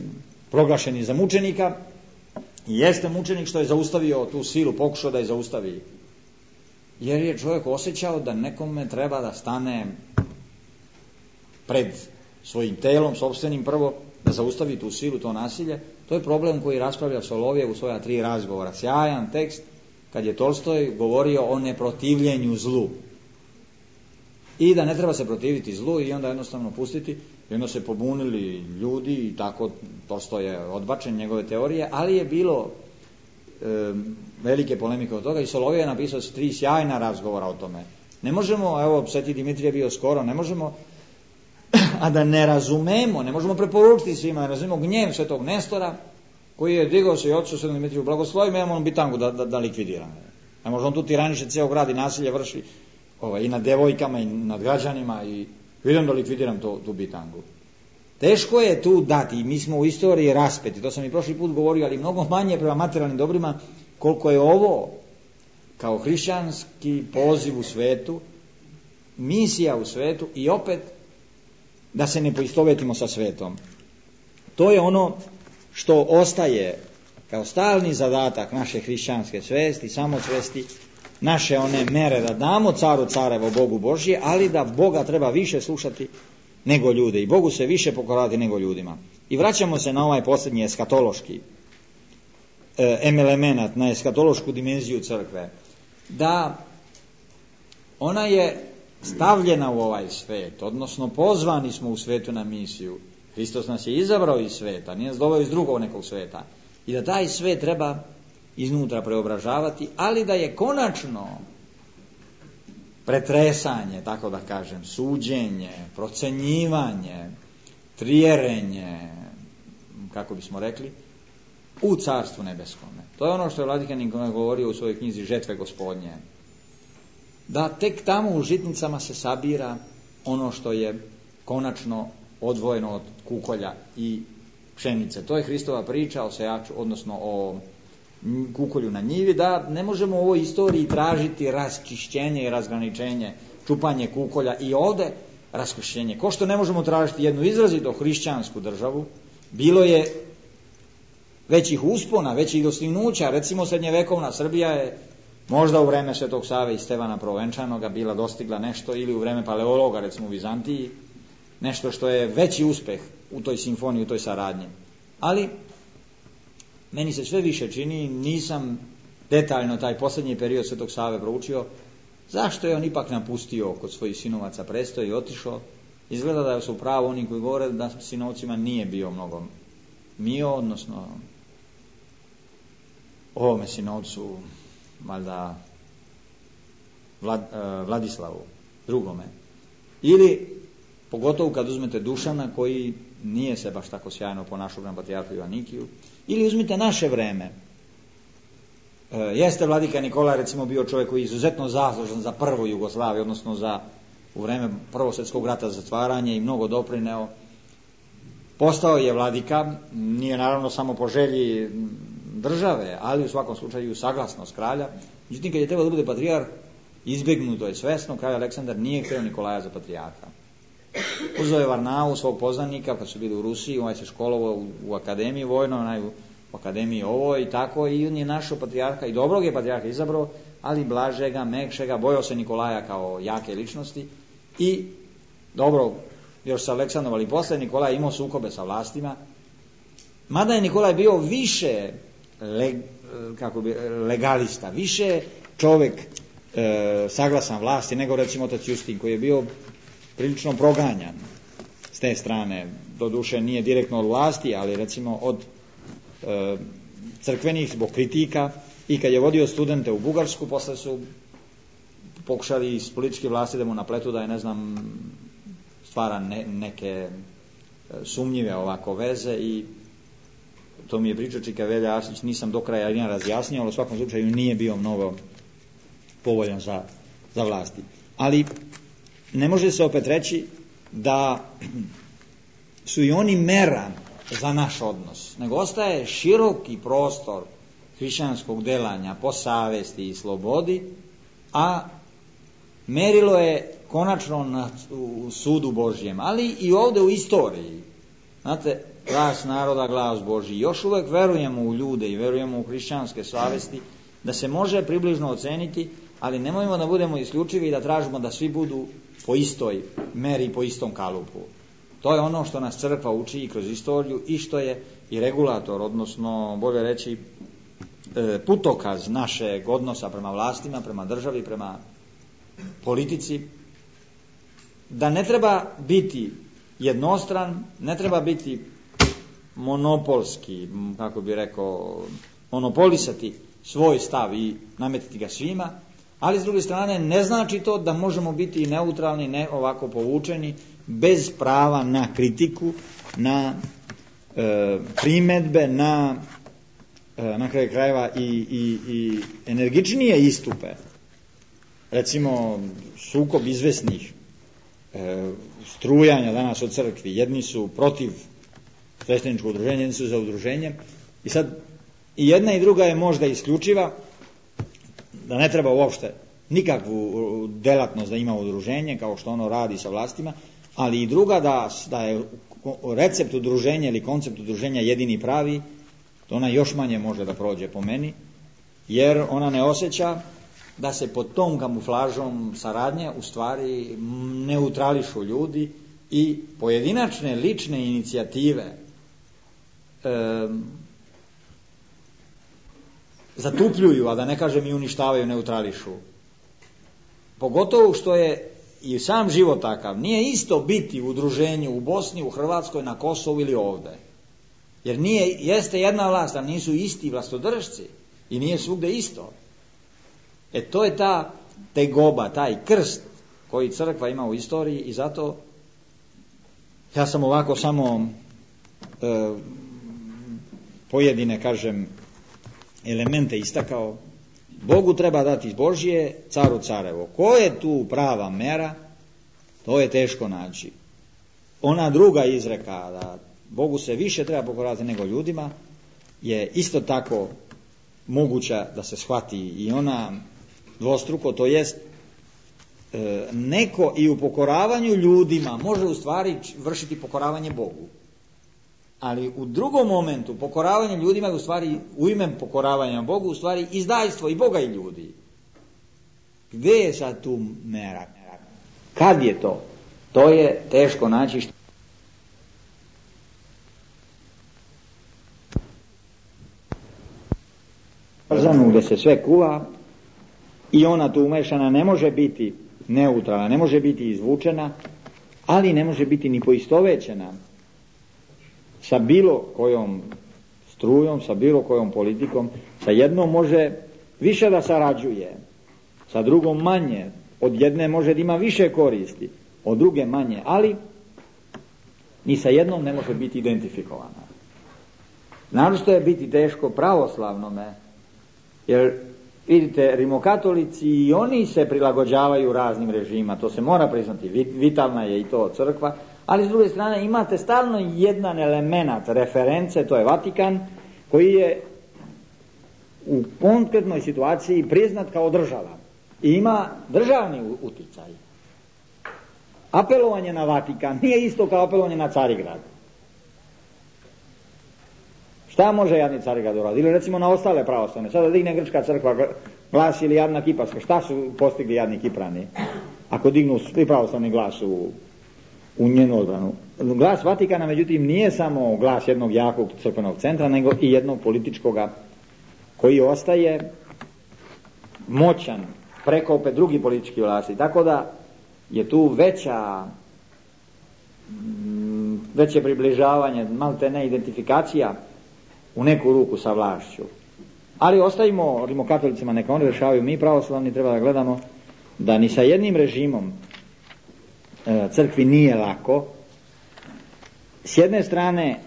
Speaker 1: proglašeni za mučenika, i jeste mučenik što je zaustavio tu silu, pokušao da je zaustavi, jer je čovjek osjećao da nekome treba da stane pred svojim telom, sopstvenim prvo, da zaustavi tu silu, to nasilje. To je problem koji raspravlja Solovjev u svoja tri razgovora. Sjajan tekst, kad je Tolstoj govorio o neprotivljenju zlu. I da ne treba se protiviti zlu i onda jednostavno pustiti. I onda se pobunili ljudi i tako Tolstoj je odbačen, njegove teorije, ali je bilo e, velike polemike od toga i Solovjev je napisao tri sjajna razgovora o tome. Ne možemo, evo, Sveti Dimitrije bio skoro, ne možemo a da ne razumemo, ne možemo preporučiti svima, ne razumemo gnjev Svetog Nestora, koji je digao se i otišao Svetom Dimitriju, blagoslovi me, on bitangu da, da, da likvidira. Ne može on tu tiraniše cijel grad i nasilje vrši ovaj, i nad devojkama i nad građanima i idem da likvidiram to, tu bitangu. Teško je tu dati, mi smo u istoriji raspeti, to sam i prošli put govorio, ali mnogo manje prema materijalnim dobrima, koliko je ovo kao hrišćanski poziv u svetu, misija u svetu i opet da se ne poistovetimo sa svetom. To je ono što ostaje kao stalni zadatak naše hrišćanske svesti, samosvesti, naše one mere da damo caru carevo, Bogu Božje, ali da Boga treba više slušati nego ljude i Bogu se više pokorati nego ljudima. I vraćamo se na ovaj posljednji eskatološki e, element, na eskatološku dimenziju crkve, da ona je stavljena u ovaj svet, odnosno pozvani smo u svetu na misiju. Hristos nas je izabrao iz sveta, nije nas doveo iz drugog nekog sveta. I da taj svet treba iznutra preobražavati, ali da je konačno pretresanje, tako da kažem, suđenje, procenjivanje, trijerenje, kako bismo rekli, u Carstvu nebeskome. To je ono što je Vladikanin govorio u svojoj knjizi Žetve Gospodnje. Da tek tamo u žitnicama se sabira ono što je konačno odvojeno od kukolja i pšenice. To je Hristova priča o sejaču, odnosno o kukolju na njivi, da ne možemo u ovoj istoriji tražiti raščišćenje i razgraničenje, čupanje kukolja i ovde raščišćenje. Ko što ne možemo tražiti jednu izrazito hrišćansku državu, bilo je većih uspona, većih dostignuća, recimo srednjevekovna Srbija je možda u vreme Svetog Save i Stevana Prvenčanoga bila dostigla nešto, ili u vreme Paleologa, recimo u Vizantiji, nešto što je veći uspeh u toj simfoniji, u toj saradnji. Ali meni se sve više čini, nisam detaljno taj posljednji period Svetog Save proučio, zašto je on ipak napustio kod svojih sinovaca presto i otišao. Izgleda da su pravo oni koji govore da sinovcima nije bio mnogo mio, odnosno ovome sinovcu, valjda Vlad, uh, Vladislavu drugome, Ili, pogotovo kad uzmete Dušana, koji nije se baš tako sjajno ponašao prema patrijarhu Joanikiju, ili uzmite naše vreme. E, jeste vladika Nikola, recimo, bio čovjek koji je izuzetno zaslužan za prvu Jugoslaviju, odnosno za u vreme Prvog svjetskog rata zatvaranje i mnogo doprineo. Postao je vladika, nije naravno samo po želji države, ali u svakom slučaju saglasnost kralja. Međutim, kad je trebao da bude patrijarh, izbjegnuto je svesno, kralj Aleksandar nije htio Nikolaja za patrijarha. Uzeo je Varnau, svog poznanika, kad su bili u Rusiji, ovaj se školovao u, u akademiji vojno, onaj u, u akademiji ovo i tako, i on je našao patrijarha i dobrog je patrijarha izabrao, ali blažega, mekšega, bojao se Nikolaja kao jake ličnosti i dobro, još sa Aleksandrom, ali posle Nikolaj imao sukobe sa vlastima, mada je Nikolaj bio više leg, kako bi, legalista, više čovjek e, saglasan vlasti nego recimo otac Justin, koji je bio prilično proganjan s te strane, doduše nije direktno od vlasti, ali recimo od e, crkvenih zbog kritika, i kad je vodio studente u Bugarsku, posle su pokušali iz političke vlasti da mu napletu da je, ne znam, stvara ne, neke sumnjive ovako veze, i to mi je pričao Čika Velja Arsić, nisam do kraja jedan razjasnio, ali u svakom slučaju nije bio mnogo povoljan za, za vlasti. Ali ne može se opet reći da su i oni mera za naš odnos, nego ostaje široki prostor hrišćanskog delanja po savesti i slobodi, a merilo je konačno na, u sudu Božjem, ali i ovdje u istoriji. Znate, glas naroda, glas Božji. Još uvijek verujemo u ljude i verujemo u hrišćanske savesti, da se može približno oceniti, ali nemojmo da budemo isključivi i da tražimo da svi budu po istoj meri, po istom kalupu. To je ono što nas crkva uči i kroz istoriju i što je i regulator, odnosno bolje reći putokaz našeg odnosa prema vlastima, prema državi, prema politici, da ne treba biti jednostran, ne treba biti monopolski, kako bi rekao, monopolisati svoj stav i nametiti ga svima, ali s druge strane ne znači to da možemo biti neutralni, ne ovako povučeni, bez prava na kritiku, na e, primedbe, na e, na kraju krajeva i, i, i energičnije istupe. Recimo sukob izvesnih e, strujanja danas u crkvi. Jedni su protiv svešteničkog udruženja, jedni su za udruženje, i sad i jedna i druga je možda isključiva, da ne treba uopšte nikakvu delatnost da ima udruženje kao što ono radi sa vlastima, ali i druga da, da je recept udruženja ili koncept udruženja jedini pravi, to ona još manje može da prođe po meni, jer ona ne osjeća da se pod tom kamuflažom saradnje u stvari neutrališu ljudi i pojedinačne lične inicijative e, zatupljuju, a da ne kažem i uništavaju, neutrališu. Pogotovo što je i sam život takav. Nije isto biti u udruženju u Bosni, u Hrvatskoj, na Kosovu ili ovde. Jer nije, jeste jedna vlast, a nisu isti vlastodržci i nije svugde isto. E to je ta tegoba, taj krst koji crkva ima u istoriji, i zato ja sam ovako samo e, pojedine, kažem, elemente istakao. Bogu treba dati Božje, caru carevo. Ko je tu prava mera, to je teško naći. Ona druga izreka da Bogu se više treba pokoravati nego ljudima je isto tako moguća da se shvati, i ona dvostruko, to jest e, neko i u pokoravanju ljudima može u stvari vršiti pokoravanje Bogu. Ali u drugom momentu pokoravanje ljudima je u stvari, u ime pokoravanja Bogu, u stvari izdajstvo i Boga i ljudi. Gdje je sad tu mera? Kad je to? To je teško naći. Gdje se sve kuva i ona tu umešana ne može biti neutralna, ne može biti izvučena, ali ne može biti ni poistovećena sa bilo kojom strujom, sa bilo kojom politikom. Sa jednom može više da sarađuje, sa drugom manje, od jedne može da ima više koristi, od druge manje, ali ni sa jednom ne može biti identifikovana. Naročito je biti teško pravoslavnome, jer vidite, rimokatolici i oni se prilagođavaju raznim režima, to se mora priznati, vitalna je i to crkva, ali s druge strane imate stalno jedan element reference, to je Vatikan, koji je u konkretnoj situaciji priznat kao država i ima državni uticaj. Apelovanje na Vatikan nije isto kao apelovanje na Carigrad. Šta može jadni Carigrad uraditi? Ili recimo na ostale pravoslavne. Sada digne grčka crkva glas ili jadna kiparska. Šta su postigli jadni Kiprani? Ako dignu svi pravoslavni glas u, u njenu odbranu. Glas Vatikana, međutim, nije samo glas jednog jakog crkvenog centra, nego i jednog političkoga koji ostaje moćan preko opet drugi politički vlasti. Tako da je tu veća veće približavanje, malte ne identifikacija u neku ruku sa vlašću. Ali ostavimo rimokatolicima, neka oni rešavaju, mi pravoslavni treba da gledamo da ni sa jednim režimom e, crkvi nije lako. S jedne strane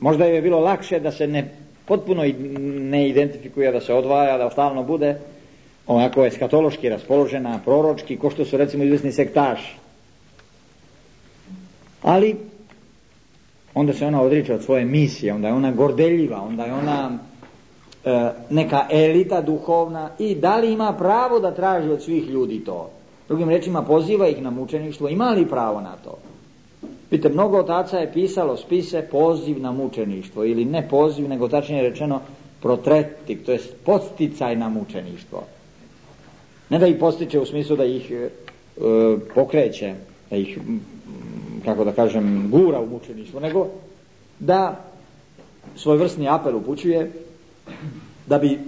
Speaker 1: možda je bilo lakše da se ne potpuno ne identifikuje, da se odvaja, da stalno bude onako eskatološki raspoložena, proročki, ko što su recimo izvesni sektaši. Ali onda se ona odriče od svoje misije, onda je ona gordeljiva, onda je ona e, neka elita duhovna i da li ima pravo da traži od svih ljudi to? Drugim rečima, poziva ih na mučeništvo, ima li pravo na to? Vidite, mnogo otaca je pisalo spise poziv na mučeništvo, ili ne poziv, nego tačnije rečeno protretik, to je podsticaj na mučeništvo. Ne da ih postiče u smislu da ih e, pokreće, da ih, kako da kažem, gura u mučeništvo, nego da svojevrsni apel upućuje da bi e,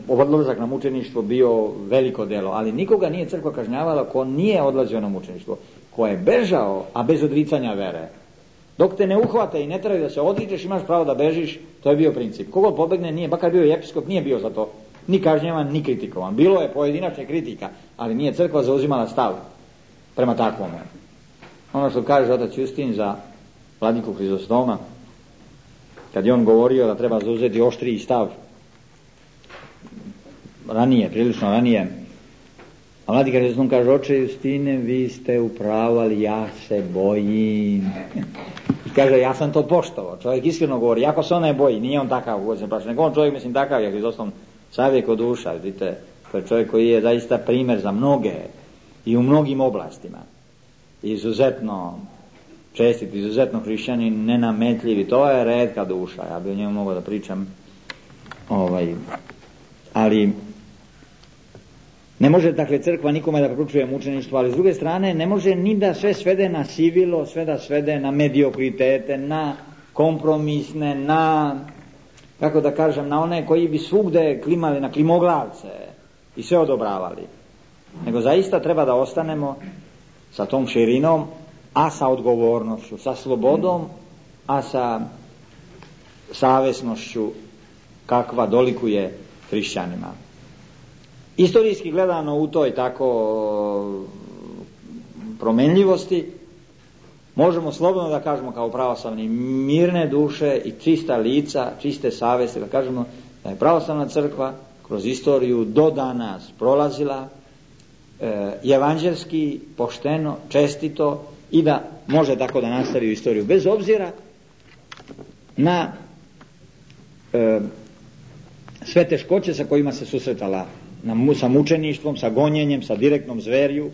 Speaker 1: odlazak na mučeništvo bio veliko delo, ali nikoga nije crkva kažnjavala ko nije odlazio na mučeništvo, ko je bežao, a bez odricanja vere. Dok te ne uhvate i ne trebaju da se odričeš, imaš pravo da bežiš, to je bio princip. Kogod pobegne, nije, bakar bio i episkop, nije bio za to ni kažnjavan, ni kritikovan. Bilo je pojedinačne kritika, ali nije crkva zauzimala stav prema takvome. Ono što kaže otac Justin za vladiku Hrizostoma, kad je on govorio da treba zauzeti oštriji stav, ranije, prilično ranije, a vladika Hrizostom kaže: oče Justine, vi ste u pravu, ali ja se bojim. Kaže, ja sam to poštovao. Čovjek iskreno govori, jako se on ne boji, nije on takav uvođen plaća, nego on čovjek, mislim, takav je Hrizostom savijek od duša, vidite, to je čovjek koji je zaista primjer za mnoge i u mnogim oblastima. Izuzetno čestit, izuzetno hrišćanin, nenametljivi, to je retka duša, ja bi o njemu mogao da pričam, ovaj, ali ne može, dakle, crkva nikome da preporučuje mučeništvo, ali s druge strane ne može ni da sve svede na sivilo, sve da svede na mediokritete, na kompromisne, na, kako da kažem, na one koji bi svugde klimali, na klimoglavce i sve odobravali. Nego zaista treba da ostanemo sa tom širinom, a sa odgovornošću, sa slobodom, a sa savesnošću kakva dolikuje hrišćanima. Istorijski gledano u toj tako promenljivosti možemo slobodno da kažemo kao pravoslavni mirne duše i čista lica, čiste savesti, da kažemo da je pravoslavna crkva kroz istoriju do danas prolazila e, evanđelski, pošteno, čestito i da može tako da nastavi u istoriju bez obzira na e, sve teškoće sa kojima se susretala, na, sa mučeništvom, sa gonjenjem, sa direktnom zverju,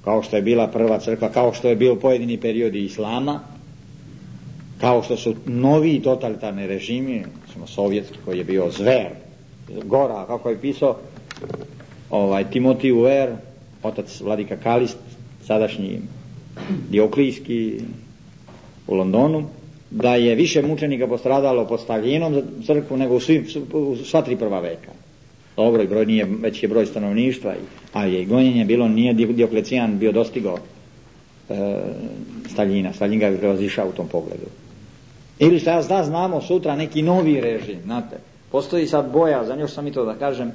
Speaker 1: kao što je bila prva crkva, kao što je bio pojedini periodi islama, kao što su novi totalitarni režimi, smo sovjetski koji je bio zver, gora, kako je pisao ovaj, Timotij Uver, otac vladika Kalist, sadašnji Dioklijski u Londonu, da je više mučenika postradalo pod Staljinom za crkvu nego u, svim, u sva tri prva veka. Dobro, broj nije, već je broj stanovništva, ali je i gonjenje bilo, nije Dioklecijan bio dostigao e, Staljina, Staljin ga je prevazišao u tom pogledu. Ili šta da znamo sutra neki novi režim, znate, postoji sad boja, za još sam i to da kažem,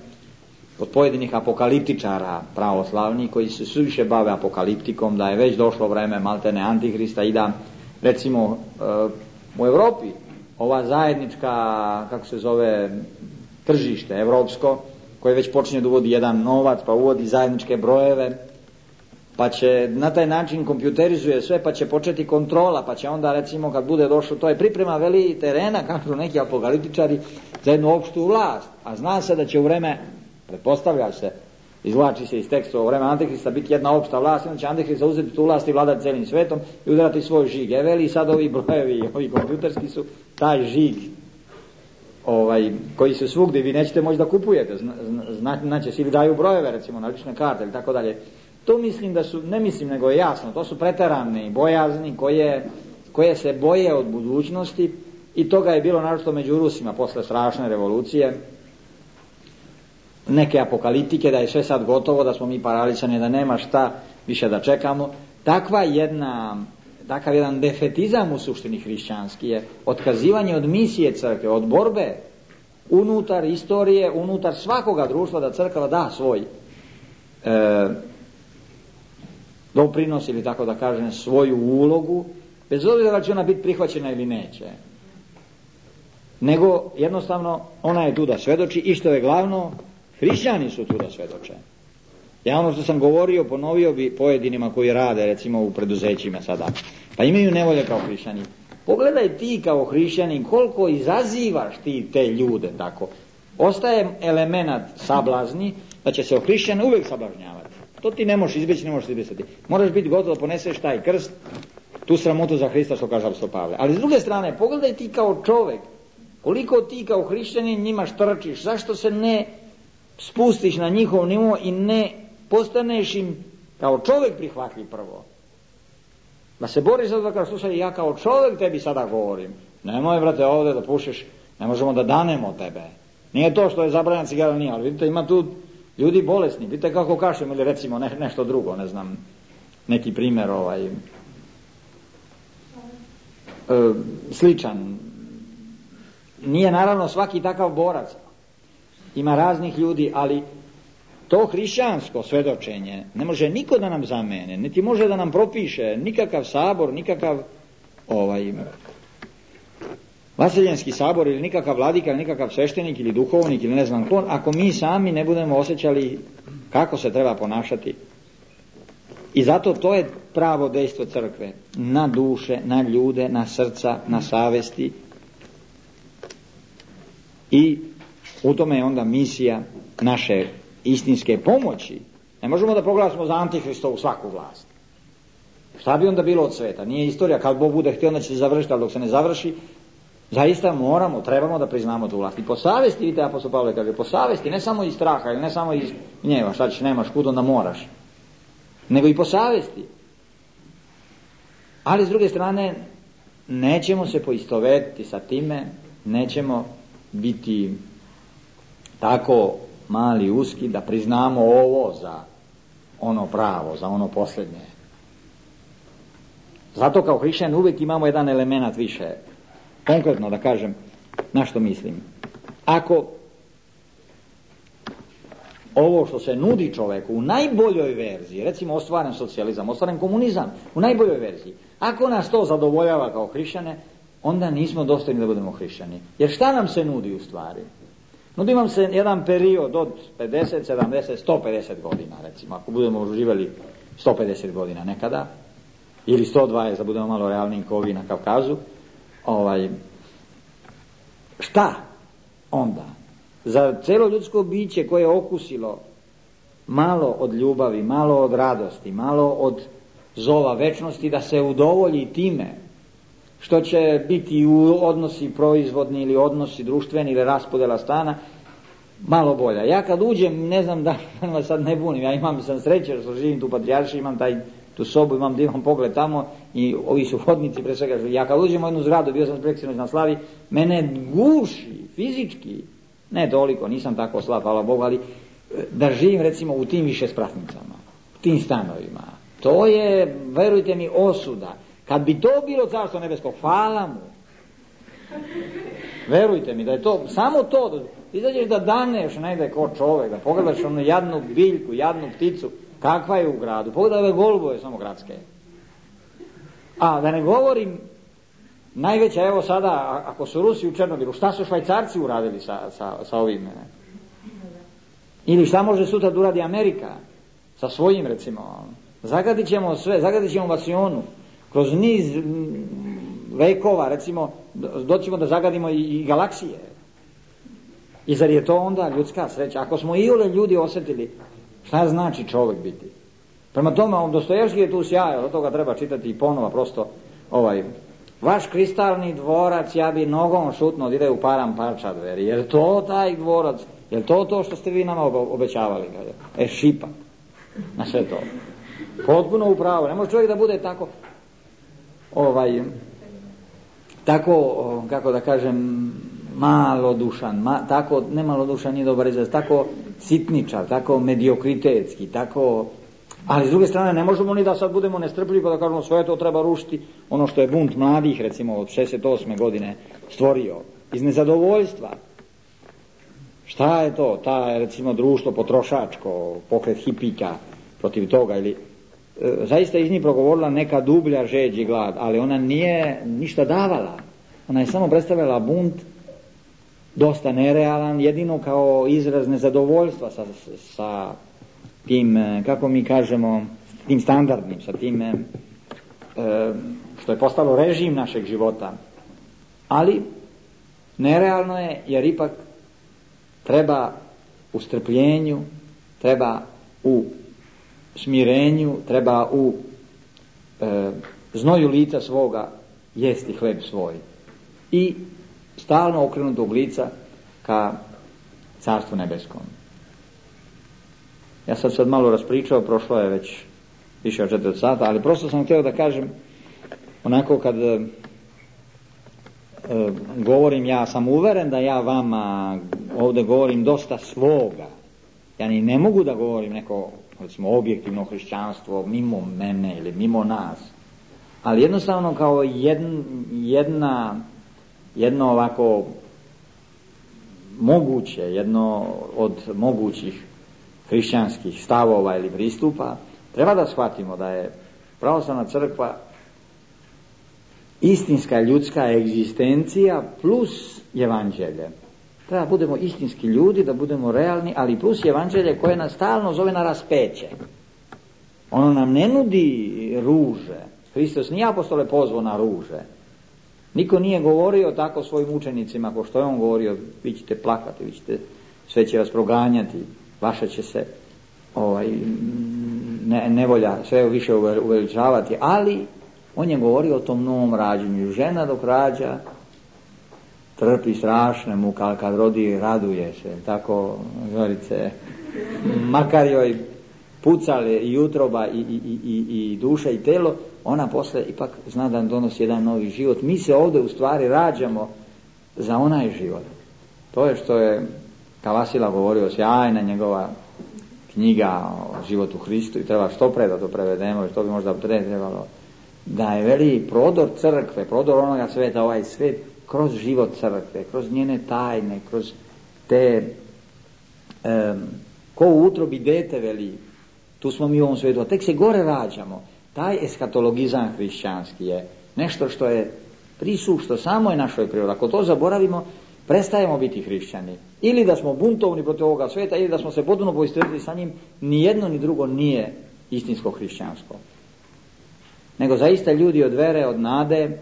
Speaker 1: kod pojedinih apokaliptičara pravoslavnih koji se suviše bave apokaliptikom, da je već došlo vreme maltene Antihrista i da recimo u Europi ova zajednička, kako se zove, tržište evropsko, koje već počinje da uvodi jedan novac, pa uvodi zajedničke brojeve, pa će na taj način kompjuterizuje sve, pa će početi kontrola, pa će onda recimo kad bude došlo, to je priprema veli terena, kažu neki apokaliptičari, za jednu opštu vlast, a zna se da će u vreme, pretpostavlja se, izvlači se iz teksta, u vreme Antihrista biti jedna opšta vlast, onda će Antihrist uzeti tu vlast i vladati celim svetom i udarati svoj žig. E veli sad ovi brojevi, ovi kompjuterski su taj žig ovaj, koji se svugdje, vi nećete moći da kupujete, zna, znači svi daju brojeve recimo na lične karte ili tako dalje. To mislim da su, ne mislim nego je jasno, to su preterane bojazni koje, koje se boje od budućnosti i toga je bilo naročito među Rusima posle strašne revolucije, neke apokaliptike, da je sve sad gotovo, da smo mi paralisani, da nema šta više da čekamo. Takva jedna, takav jedan defetizam u suštini hrišćanski je otkazivanje od misije crkve, od borbe unutar istorije, unutar svakoga društva da crkva da svoj e, doprinos ili tako da kažem svoju ulogu, bez obzira da će ona biti prihvaćena ili neće, nego jednostavno ona je tu da svedoči i što je glavno, hrišćani su tu da svedoče. Ja ono što sam govorio, ponovio bi pojedinima koji rade recimo u preduzećima sada, pa imaju nevolje kao hrišćani. Pogledaj ti kao hrišćanin koliko izazivaš ti te ljude tako. Ostaje element sablazni da će se o hrišćane uvijek sablažnjavati. To ti ne možeš izbjeći, ne možeš izbjeći. Moraš biti gotov da poneseš taj krst, tu sramotu za Hrista što kaže apostol Pavle. Ali s druge strane, pogledaj ti kao čovjek, koliko ti kao hrišćanin njima štrčiš, zašto se ne spustiš na njihov nivo i ne postaneš im kao čovjek prihvatljiv prvo. Da se boriš za to da kažeš, slušaj, ja kao čovjek tebi sada govorim. Nemoj, brate, ovdje da pušiš, ne možemo da danemo tebe. Nije to što je zabranjena cigara, nije, ali vidite, ima tu ljudi bolesni, vidite kako kašem ili recimo ne, nešto drugo, ne znam, neki primjer ovaj, e, sličan. Nije naravno svaki takav borac, ima raznih ljudi, ali to hrišćansko svedočenje ne može niko da nam zamene, niti može da nam propiše nikakav sabor, nikakav ovaj vaseljenski sabor ili nikakav vladika ili nikakav sveštenik ili duhovnik ili ne znam ko, ako mi sami ne budemo osjećali kako se treba ponašati. I zato to je pravo dejstvo crkve na duše, na ljude, na srca, na savesti i u tome je onda misija naše istinske pomoći. Ne možemo da proglasimo za Antihristovu svaku vlast. Šta bi onda bilo od sveta? Nije istorija, kad Bog bude htio onda će se završiti, ali dok se ne završi, zaista moramo, trebamo da priznamo tu vlast. I po savesti, vidite, apostol Pavle kaže, po savesti, ne samo iz straha, ili ne samo iz gnjeva, šta ćeš, nemaš kud, onda moraš, nego i po savesti. Ali s druge strane, nećemo se poistovetiti sa time, nećemo biti tako mali, uski, da priznamo ovo za ono pravo, za ono posljednje. Zato kao hrišćan uvijek imamo jedan element više. Konkretno da kažem, na što mislim. Ako ovo što se nudi čovjeku u najboljoj verziji, recimo ostvaren socijalizam, ostvaren komunizam, u najboljoj verziji, ako nas to zadovoljava kao hrišćane, onda nismo dostojni da budemo hrišćani. Jer šta nam se nudi u stvari? Nudi nam se jedan period od pedeset, sedamdeset, sto pedeset godina, recimo, ako budemo živjeli sto pedeset godina nekada, ili sto dvadeset, da budemo malo realniji kao ovi na Kavkazu, ovaj, šta onda? Za cijelo ljudsko biće koje je okusilo malo od ljubavi, malo od radosti, malo od zova večnosti, da se udovolji time što će biti u odnosi proizvodni ili odnosi društveni ili raspodjela stana, malo bolja. Ja kad uđem, ne znam da vas sad ne bunim, ja imam sam sreće što živim tu u Patrijaršiji, imam taj, tu sobu, imam divan pogled tamo i ovi su hodnici pre svega. Ja kad uđem u jednu zgradu, bio sam preksinoć na slavi, mene guši fizički, ne toliko, nisam tako slab, hvala Bogu, ali da živim recimo u tim više spratnicama, u tim stanovima. To je, verujte mi, osuda. Kad bi to bilo carstvo nebesko, hvala mu. Verujte mi da je to, samo to, izađeš da daneš negde ko čovek, da pogledaš onu jadnu biljku, jadnu pticu, kakva je u gradu, pogledaj ove golubove samo gradske. A da ne govorim, najveća, evo sada, ako su Rusi u Černobilu, šta su Švajcarci uradili sa, sa, sa ovim? Ne? Ili šta može sutra da uradi Amerika sa svojim, recimo, zagadit ćemo sve, zagadit ćemo vasionu, kroz niz vekova, recimo, doćemo da zagadimo i, i galaksije. I zar je to onda ljudska sreća? Ako smo iole ljudi osjetili, šta znači čovjek biti? Prema tome, on Dostojevski je tu sjajao, od toga treba čitati i ponova, prosto, ovaj, vaš kristalni dvorac, ja bi nogom šutno da ide u param parča dveri. Je li to taj dvorac? Je li to to što ste vi nama obećavali? E, šipak. Na sve to. Potpuno upravo. Ne može čovjek da bude tako, ovaj, tako, kako da kažem, malodušan, ma, tako, ne malodušan, nije dobar izraz, tako sitničar, tako mediokritetski, tako, ali s druge strane ne možemo ni da sad budemo nestrpljivi pa da kažemo sve to treba rušiti, ono što je bunt mladih, recimo, od šezdeset osme godine stvorio, iz nezadovoljstva. Šta je to? Ta, recimo, društvo potrošačko, pokret hipika protiv toga, ili e, zaista iz njih progovorila neka dublja žeđ i glad, ali ona nije ništa davala. Ona je samo predstavljala bunt, dosta nerealan, jedino kao izraz nezadovoljstva sa, sa tim, kako mi kažemo, tim standardnim, sa tim e, što je postalo režim našeg života. Ali nerealno je, jer ipak treba u strpljenju, treba u smirenju, treba u e, znoju lica svoga jesti hleb svoj i stalno okrenutog lica ka Carstvu nebeskom. Ja sam sad malo raspričao, prošlo je već više od četiri sata, ali prosto sam htio da kažem, onako kad e, govorim, ja sam uveren da ja vama ovdje govorim dosta svoga. Ja ni ne mogu da govorim neko, recimo, objektivno hrišćanstvo mimo mene ili mimo nas, ali jednostavno kao jedna, jedna jedno ovako moguće, jedno od mogućih hrišćanskih stavova ili pristupa, treba da shvatimo da je pravoslavna crkva istinska ljudska egzistencija plus evanđelje. Treba da budemo istinski ljudi, da budemo realni, ali plus evanđelje koje nas stalno zove na raspeće. Ono nam ne nudi ruže. Hristos nije, apostole, pozvao na ruže. Niko nije govorio tako svojim učenicima, ko što je on govorio, vi ćete plakati, vi ćete, sve će vas proganjati, vaša će se ovaj, ne, nevolja sve više uveličavati, ali on je govorio o tom novom rađenju. Žena dok rađa trpi strašne muke, ali kad rodi raduje se, tako, Zorice, makar joj pucale i utroba i, i, i, i duša i telo, ona posle ipak zna da donosi jedan novi život. Mi se ovdje u stvari rađamo za onaj život. To je što je Kavasila govorio, sjajna njegova knjiga o životu Hristu, i treba što pre da to prevedemo, što bi možda trebalo, da je veli prodor crkve, prodor onoga sveta, ovaj svet, kroz život crkve, kroz njene tajne, kroz te um, ko u utrobi dete, veli, tu smo mi u ovom svijetu, a tek se gore rađamo. Taj eskatologizam hrišćanski je nešto što je prisušto samoj našoj prirodi. Ako to zaboravimo, prestajemo biti hrišćani. Ili da smo buntovni protiv ovoga svijeta, ili da smo se potpuno poistovjetili sa njim, ni jedno ni drugo nije istinsko hrišćansko. Nego zaista ljudi od vere, od nade,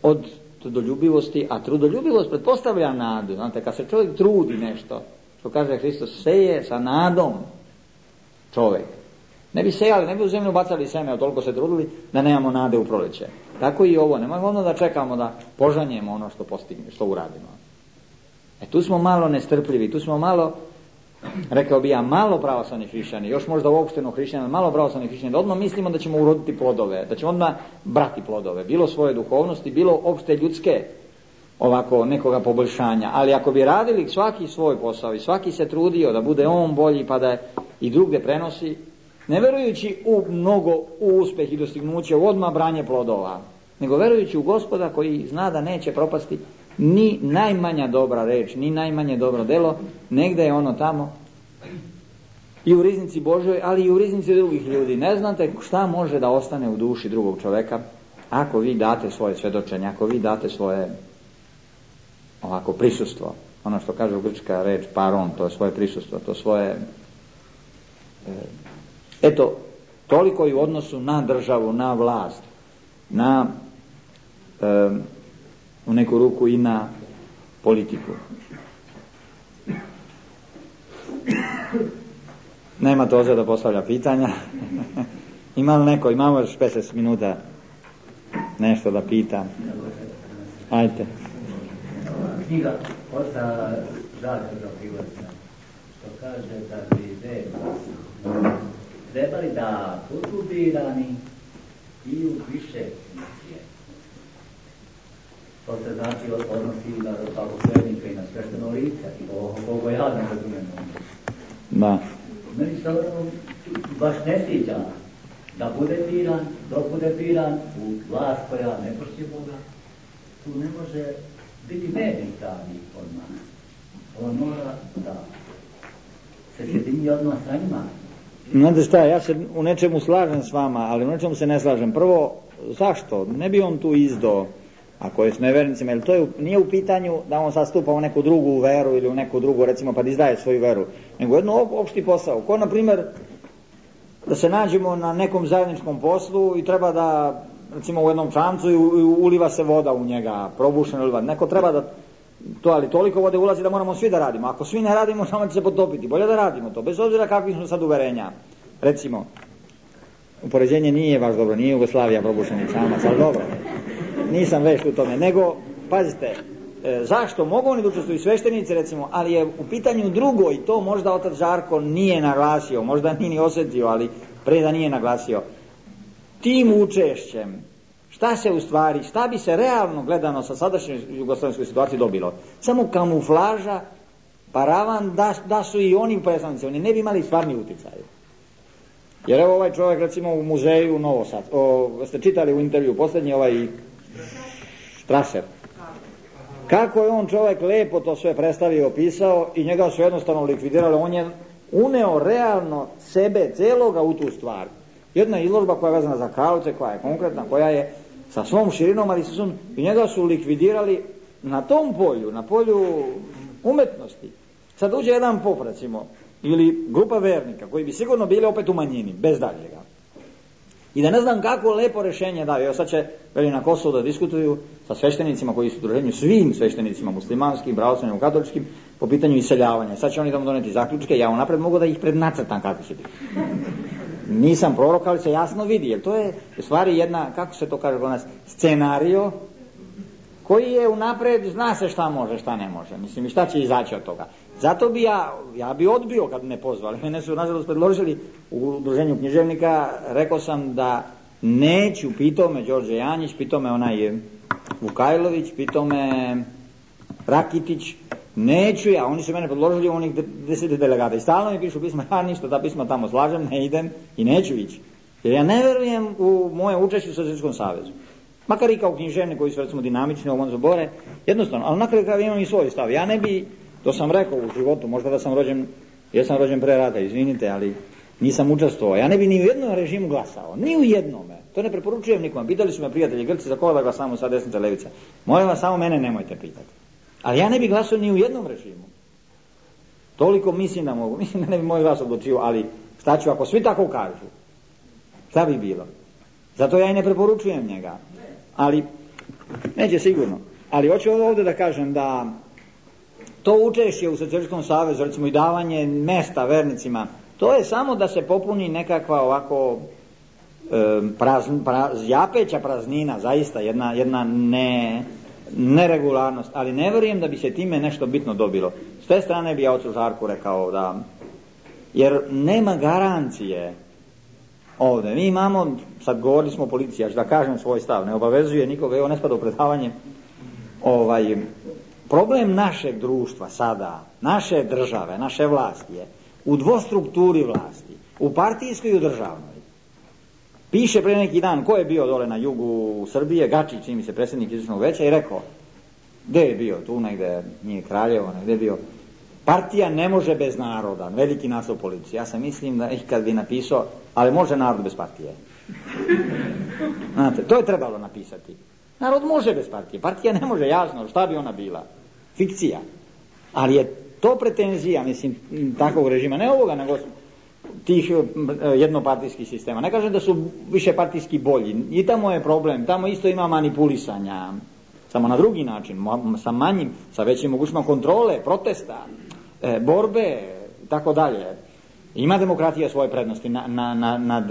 Speaker 1: od trudoljubivosti, a trudoljubivost pretpostavlja nadu. Znate, kad se čovjek trudi nešto, što kaže Hristos, seje sa nadom čovjek. Ne bi sejali, ne bi u zemlju bacali seme, a toliko se trudili da nemamo nade u proljeće. Tako i ovo, nemojmo ono da čekamo da požanjemo ono što postignemo, što uradimo. E tu smo malo nestrpljivi, tu smo malo, rekao bi ja, malo pravoslavni hrišćani, još možda uopšteno hrišćani, malo pravoslavni hrišćani, da odmah mislimo da ćemo uroditi plodove, da ćemo odmah brati plodove, bilo svoje duhovnosti, bilo opšte ljudske, ovako nekoga poboljšanja. Ali ako bi radili svaki svoj posao i svaki se trudio da bude on bolji pa da i drugde prenosi, ne verujući u mnogo u uspeh i dostignuće, u odmah branje plodova, nego verujući u Gospoda koji zna da neće propasti ni najmanja dobra reč, ni najmanje dobro delo, negde je ono tamo i u riznici Božoj, ali i u riznici drugih ljudi. Ne znate šta može da ostane u duši drugog čoveka ako vi date svoje svedočenje, ako vi date svoje ovako prisustvo, ono što kaže grčka reč paron, to je svoje prisustvo, to svoje eto, toliko i u odnosu na državu, na vlast, na e, u neku ruku i na politiku. Nema Toze da postavlja pitanja. Ima li neko, imamo još petnaest minuta nešto da pita. Ajte.
Speaker 2: Knjiga oca Žarka Zaprivatna, što kaže da bi treba trebali da budu birani i u više funkcije. To se znači odnosi na pravoslednika i na svešteno lice, koliko ja ne razumijem.
Speaker 1: Da.
Speaker 2: Meni se baš ne sviđa da bude biran, dok bude biran u vlast koja ne pošti Boga, tu ne može biti medij pravi odmah. On mora da se sjedini odmah sa njima.
Speaker 1: Znate šta, ja se u nečemu slažem s vama, ali u nečemu se ne slažem. Prvo, zašto? Ne bi on tu izdao, ako je s nevernicima, jer to je, nije u pitanju da on sad stupa u neku drugu veru ili u neku drugu, recimo, pa da izdaje svoju veru, nego jedno opšti posao. Ko, na primjer, da se nađemo na nekom zajedničkom poslu i treba da, recimo, u jednom čamcu i uliva se voda u njega, probušena uliva. Neko treba da, to, ali toliko vode ulazi da moramo svi da radimo. Ako svi ne radimo, samo će se potopiti. Bolje da radimo to, bez obzira kakvi smo sad uverenja. Recimo, upoređenje nije baš dobro, nije Jugoslavija probušeni čamac, ali dobro. Nisam vešt u tome, nego, pazite, e, zašto mogu oni da učestvuju sveštenici, recimo, ali je u pitanju drugo i to možda otac Žarko nije naglasio, možda nije ni osjetio, ali pre da nije naglasio. Tim učešćem, šta se u stvari, šta bi se realno gledano sa sadašnjoj jugoslovenskoj situaciji dobilo? Samo kamuflaža, paravan, da, da su i oni predstavnici, oni ne bi imali stvarni uticaj. Jer evo ovaj čovjek, recimo, u muzeju Novosad, o, ste čitali u intervju posljednji ovaj Strasser, kako je on čovjek lepo to sve predstavio, opisao i njega su jednostavno likvidirali. On je uneo realno sebe celoga u tu stvar. Jedna izložba koja je vezana za Karlovce, koja je konkretna, koja je sa svom širinom, ali sa svom, i njega su likvidirali na tom polju, na polju umetnosti. Sad uđe jedan pop, recimo, ili grupa vernika koji bi sigurno bili opet u manjini, bez daljega. I da ne znam kako lepo rješenje daju. Evo sad će veli na Kosovu da diskutuju sa sveštenicima koji su u druženju, svim sveštenicima muslimanskim, pravoslavnim, katoličkim, po pitanju iseljavanja. Sad će oni tamo doneti zaključke, ja unapred mogu da ih prednacrtam kako će biti. Nisam prorok, ali se jasno vidi, jer to je u stvari jedna, kako se to kaže kod nas, scenario koji je unapred, zna se šta može, šta ne može. Mislim, i šta će izaći od toga. Zato bi ja, ja bi odbio kad me pozvali. Mene su nažalost predložili u udruženju književnika, rekao sam da neću, pitao me Đorđe Janjić, pitao me onaj Vukajlović, pitao me Rakitić, neću ja, oni su mene predložili u onih deset delegata i stalno mi pišu pisma, ja ništa, ta pisma tamo slažem, ne idem i neću ići. Jer ja ne verujem u moje učešće u Socijalističkom savezu. Makar i kao književni koji su recimo dinamični, ovo se bore, jednostavno, ali nakon kada imam i svoj stav. Ja ne bi, to sam rekao u životu, možda da sam rođen, ja sam rođen pre rata, izvinite, ali nisam učestvovao. Ja ne bi ni u jednom režimu glasao, ni u jednome. To ne preporučujem nikom. Pitali su me prijatelji Grci za koga da glasamo sa desnica levica. Molim vas, samo mene nemojte pitati. Ali ja ne bi glasao ni u jednom režimu. Toliko mislim da mogu, mislim da ne bi moj glas odlučio, ali šta ću ako svi tako kažu? Šta bi bilo? Zato ja i ne preporučujem njega. Ali, neće sigurno. Ali hoću ovdje da kažem da to učešće u Socijalističkom savezu, recimo i davanje mesta vernicima, to je samo da se popuni nekakva ovako e, prazn, praz, japeća praznina, zaista jedna, jedna ne, neregularnost, ali ne vjerujem da bi se time nešto bitno dobilo. S te strane bi ja ocu Žarku rekao da, jer nema garancije ovdje. Mi imamo, sad govorili smo o policiji, ja ću da kažem svoj stav, ne obavezuje nikoga, evo ne spada u predavanje, ovaj, problem našeg društva sada, naše države, naše vlasti je u dvostrukturi vlasti, u partijskoj i u državnoj. Piše pre neki dan, ko je bio dole na jugu Srbije, Gačić, čini mi se predsjednik izvršnog veća, i rekao Gde je bio? Tu negde, nije Kraljevo, negde je bio. Partija ne može bez naroda, veliki naslov policije. Ja sam mislim da ih kad bi napisao, ali može narod bez partije. Znate, to je trebalo napisati. Narod može bez partije, partija ne može, jasno, šta bi ona bila? Fikcija. Ali je to pretenzija, mislim, takvog režima, ne ovoga, nego tih jednopartijskih sistema. Ne kažem da su više partijski bolji, i tamo je problem, tamo isto ima manipulisanja, samo na drugi način, sa manjim, sa većim mogućima kontrole, protesta, e, borbe, tako dalje. Ima demokratija svoje prednosti na, na, na, nad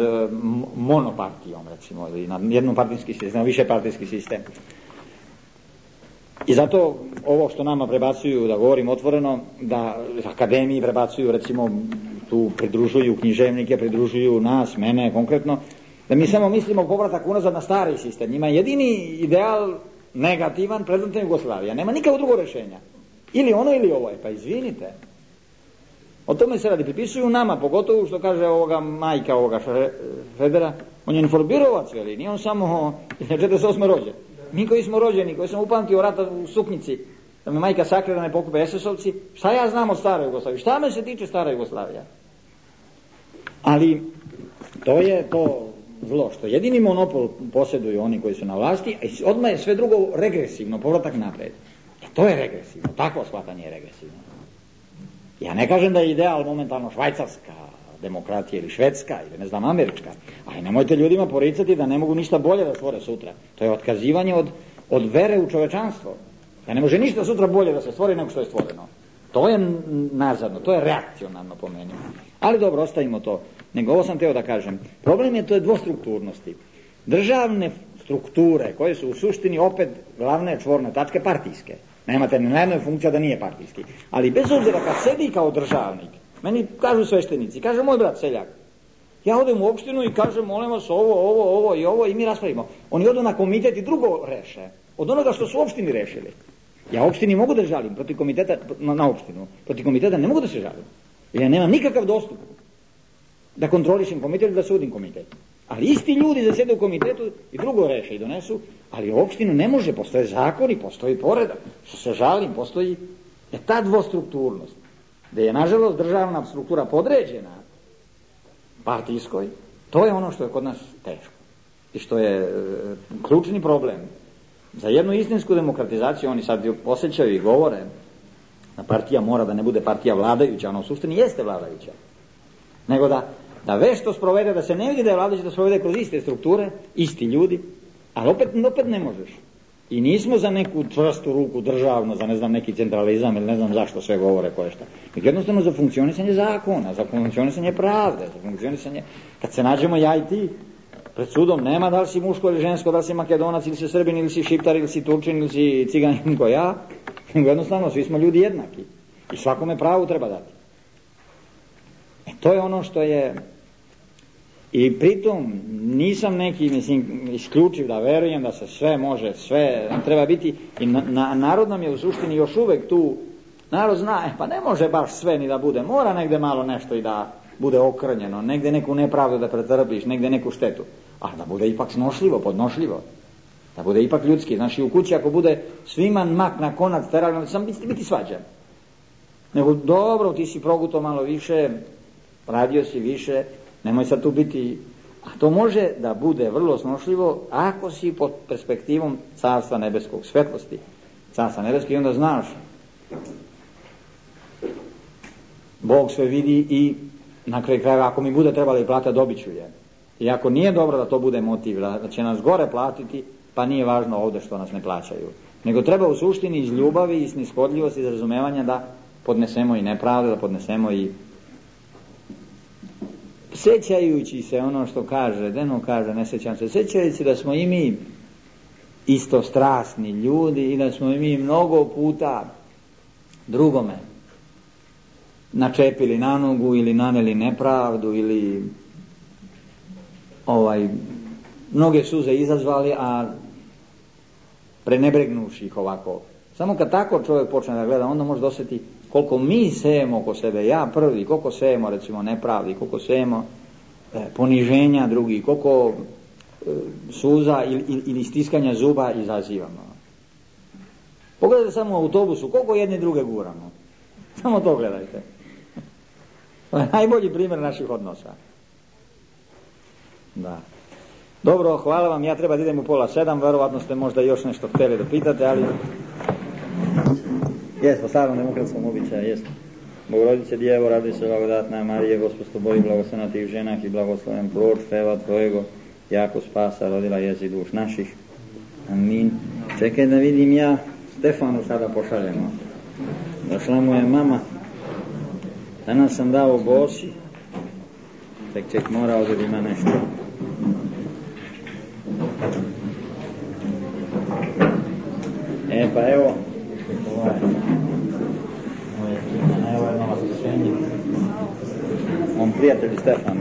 Speaker 1: monopartijom, recimo, ili nad jednopartijski sistem, više partijski sistem. I zato ovo što nama prebacuju, da govorim otvoreno, da akademiji prebacuju, recimo, tu pridružuju književnike, pridružuju nas, mene konkretno, da mi samo mislimo povratak unazad na stari sistem. Njima je jedini ideal negativan, predvodna Jugoslavija. Nema nikakvo drugo rješenja. Ili ono ili ovo je. Pa izvinite. O tome se radi. Pripisuju nama, pogotovo što kaže ovoga majka ovoga Federa, on je informirovac, veli, nije on samo četrdeset osme rođen. Mi koji smo rođeni, koji sam upamtio rata u Suknici, da me majka sakre da ne pokupe es es ovci, šta ja znam o staroj Jugoslaviji? Šta me se tiče stara Jugoslavija? Ali to je to zlo, što jedini monopol posjeduju oni koji su na vlasti, a odmah je sve drugo regresivno, povratak napred. E to je regresivno, takvo shvatanje je regresivno. Ja ne kažem da je ideal momentalno švajcarska demokratija ili švedska ili ne znam američka, ali nemojte ljudima poricati da ne mogu ništa bolje da stvore sutra. To je otkazivanje od, od vere u čovečanstvo. Da ne može ništa sutra bolje da se stvori nego što je stvoreno. To je nazadno, to je reakcionarno po meni. Ali dobro, ostavimo to. Nego ovo sam teo da kažem. Problem je to je dvostrukturnosti. Državne strukture koje su u suštini opet glavne čvorne tačke partijske. Nemate ni na jednoj funkcija da nije partijski. Ali bez obzira kad sedi kao državnik, meni kažu sveštenici, kaže moj brat seljak, ja odem u opštinu i kažem molim vas ovo, ovo, ovo i ovo i mi raspravimo. Oni odu na komitet i drugo reše. Od onoga što su u opštini rešili. Ja opštini mogu da žalim protiv komiteta na, na opštinu. Protiv komiteta ne mogu da se žalim. Jer ja nemam nikakav dostup da kontrolišem komitet, da sudim komitet. Ali isti ljudi zasede u komitetu i drugo reše i donesu, ali u opštinu ne može, postoje zakoni, postoji poredak. Što se žalim, postoji je ta dvostrukturnost. Da je nažalost državna struktura podređena partijskoj, to je ono što je kod nas teško. I što je e, ključni problem. Za jednu istinsku demokratizaciju oni sad osjećaju i govore da partija mora da ne bude partija vladajuća, ona u suštini jeste vladajuća. Nego da, da vešto sprovede, da se ne vidi da je vladajuća, da sprovede kroz iste strukture, isti ljudi, ali opet, opet ne možeš. I nismo za neku čvrstu ruku državno, za ne znam neki centralizam ili ne znam zašto sve govore koje šta. Nego jednostavno za funkcionisanje zakona, za funkcionisanje pravde, za funkcionisanje, kad se nađemo ja i ti, pred sudom nema da li si muško ili žensko, da li si Makedonac ili si Srbin ili si Šiptar ili si Turčin ili si Ciganin ko ja, nego jednostavno svi smo ljudi jednaki i svakome pravu treba dati. E to je ono što je, i pritom nisam neki, mislim, isključiv da verujem da se sve može, sve nam treba biti i na, na, narod nam je u suštini još uvek tu, narod zna, e, pa ne može baš sve ni da bude, mora negde malo nešto i da bude okrnjeno, negde neku nepravdu da pretrpiš, negde neku štetu, a da bude ipak snošljivo, podnošljivo, da bude ipak ljudski. Znači u kući ako bude svima mak na konac teralno, sam biti, biti svađan. Nego dobro, ti si proguto malo više, radio si više, nemoj sad tu biti, a to može da bude vrlo snošljivo ako si pod perspektivom carstva nebeskog, svetlosti carstva nebeskog, i onda znaš Bog sve vidi i na kraju krajeva ako mi bude trebala i plata, dobit ću je. I ako nije dobro da to bude motiv, da će nas gore platiti, pa nije važno ovdje što nas ne plaćaju. Nego treba u suštini iz ljubavi i snishodljivosti, iz razumevanja da podnesemo i nepravdu, da podnesemo i sjećajući se ono što kaže, Deno kaže, ne sjećam se, sjećajući da smo i mi isto strasni ljudi i da smo i mi mnogo puta drugome načepili na nogu ili naneli nepravdu ili ovaj mnoge suze izazvali, a prenebregnuši ih ovako. Samo kad tako čovjek počne da gleda, onda može dosjeti koliko mi sejemo oko sebe, ja prvi, koliko sejemo recimo nepravdi, koliko sejemo e, poniženja drugih, koliko e, suza ili, ili stiskanja zuba izazivamo. Pogledajte samo u autobusu, koliko jedni druge guramo. Samo to gledajte. To je najbolji primjer naših odnosa. Da. Dobro, hvala vam, ja treba da idem u pola sedam, verovatno ste možda još nešto htjeli da pitate, ali... Jes, po starom demokratskom običaju, jes. Bogorodice Djevo, radi se blagodatna Marije, Gospod s tobою, blagoslovena ti u ženah i blagosloven plod čreva tvojego, jako spasa rodila jezi duš naših. Amin. Čekaj da vidim ja, Stefanu sada pošaljemo. Došla mu je mama. Danas sam dao bosi. Tek ček morao da ima nešto. E pa evo. Ovaj. Evo je nova srešenje. On prijatelj Stefan.